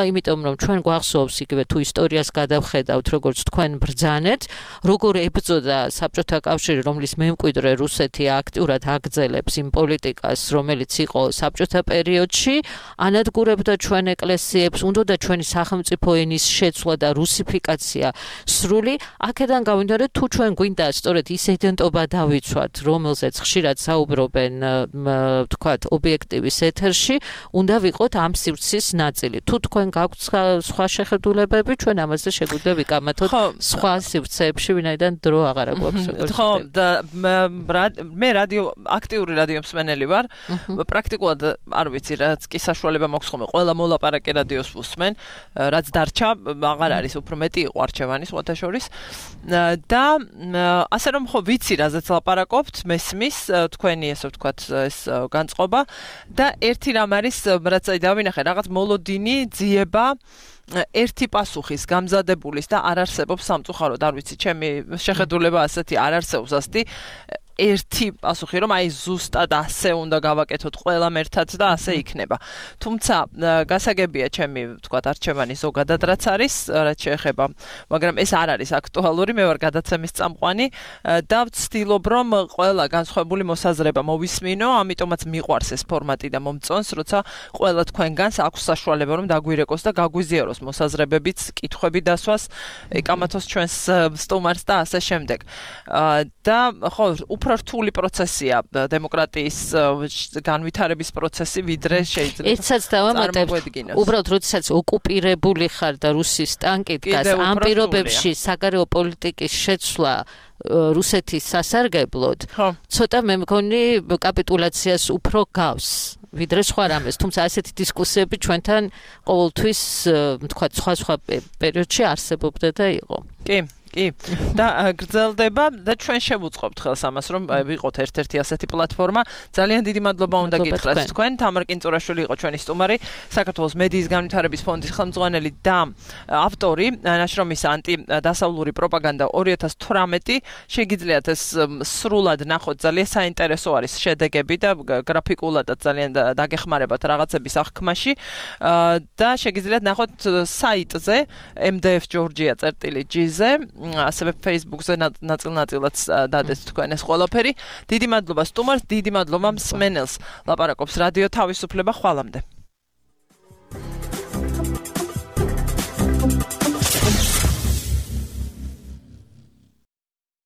იმიტომ რომ ჩვენ გვახსოვს იგივე თუ ისტორიას გადავხედავთ, როგორც თქვენ ბრძანეთ, როგორ ებრძოდა საბჭოთა კავშირი, რომლის მემკვიდრე რუსეთი აქტიურად აგრძელებს იმ პოლიტიკას, რომელიც იყო საბჭოთა პერიოდში, ანადგურებდა ჩვენ ეკლესიებს, უნდოდა ჩვენი სახელმწიფო ენის შეცვლა და რუსიფიკაცია სრული. აქედან გავინდორეთ, თუ ჩვენ გვინდა სწორედ ის იდენტობა დავიცვათ, რომელზეც ხშირად საუბრობენ, ვთქვათ, ობიექტივის ეთერში, უნდა ვიყოთ ამ სივრცის ნაწილი. თუ თქვენ გაქვთ სხვა შეხედულებები, ჩვენ ამაზე შეგვიძლია ვიკამათოთ სხვა სივრცეებში, ვინაიდან დრო აღარ გვაქვს. ხო, მე აქტიური რადიო მსმენელი ვარ. პრაქტიკულად არ ვიცი რაც კი საშუალება მაქვს ხოლმე ყველა მოლაპარაკე რადიოს ვუსმენ, რაც დარჩა აღარ არის უფრო მეტი იყო არჩევანის მოთაშორის. და ასე რომ ხო ვიცი რაზეც ლაპარაკობთ, მესმის თქვენი ესე ვთქვათ ეს განწყობა და ერთი რამ არის რაც დავინახე რაღაც მოლოდინი ძიება ერთი პასუხის გამზადებულის და არ არსებობს სამწუხაროდ არ ვიცი ჩემი შეხედულება ასეთი არ არსებობს ასეთი ერთი პასუხი რომ აი ზუსტად ასე უნდა გავაკეთოთ ყველამ ერთად და ასე იქნება. თუმცა გასაგებია ჩემი ვთქვათ არჩევანი ზოგადად რაც არის, რაც შეეხება, მაგრამ ეს არ არის აქტუალური, მე ვარ გადაცემის წამყვანი და ვცდილობ რომ ყველა განსხვავებული მოსაზრება მოვისმინო, ამიტომაც მიყვარს ეს ფორმატი და მომწონს, როცა ყველა თქვენგანს აქვს საშუალება რომ დაგვირეკოს და გაგვიზიაროს მოსაზრებებიც, კითხვები დასვას, ეკამათოს ჩვენს სტუმარს და ასე შემდეგ. და ხო უფრო რთული პროცესია დემოკრატიის განვითარების პროცესი ვიდრე შეიძლება ეცაც დავამატებ უბრალოდ როდესაც ოკუპირებული ხარ და რუსის ტანკი დგას ამ პირობებში საგარეო პოლიტიკის შეცვლა რუსეთის სასარგებლოდ ცოტა მე მგონი კაპიტულაციას უფრო გავს ვიდრე სხვა რამეს თუმცა ასეთი დისკუსიები ჩვენთან ყოველთვის თქვა სხვა პერიოდში არსებობდა და იყო კი და გრძელდება და ჩვენ შევუწყობთ ხელს ამას რომ ვიყოთ ერთ-ერთი ასეთი პლატფორმა ძალიან დიდი მადლობა უნდა გითხრათ თქვენ თამარ კინწურაშვილი იყო ჩვენი სტუმარი საქართველოს მედიის განვითარების ფონდის ხელმძღვანელი და ავტორი ნაშრომის ანტიდასავლური პროპაგანდა 2018 შეგიძლიათ ეს სრულად ნახოთ ძალიან საინტერესო არის შედეგები და გრაფიკულადაც ძალიან დაგეხმარებათ რაღაცების აღქმაში და შეგიძლიათ ნახოთ საიტზე mdf.georgia.gz-ზე ასევე Facebook-ზე ნაწილ-ნაწილად დადეთ თქვენ ეს ყველაფერი. დიდი მადლობა სტუმარს, დიდი მადლობა მსმენელს. ლაპარაკობს რადიო თავისუფლება ხვალამდე.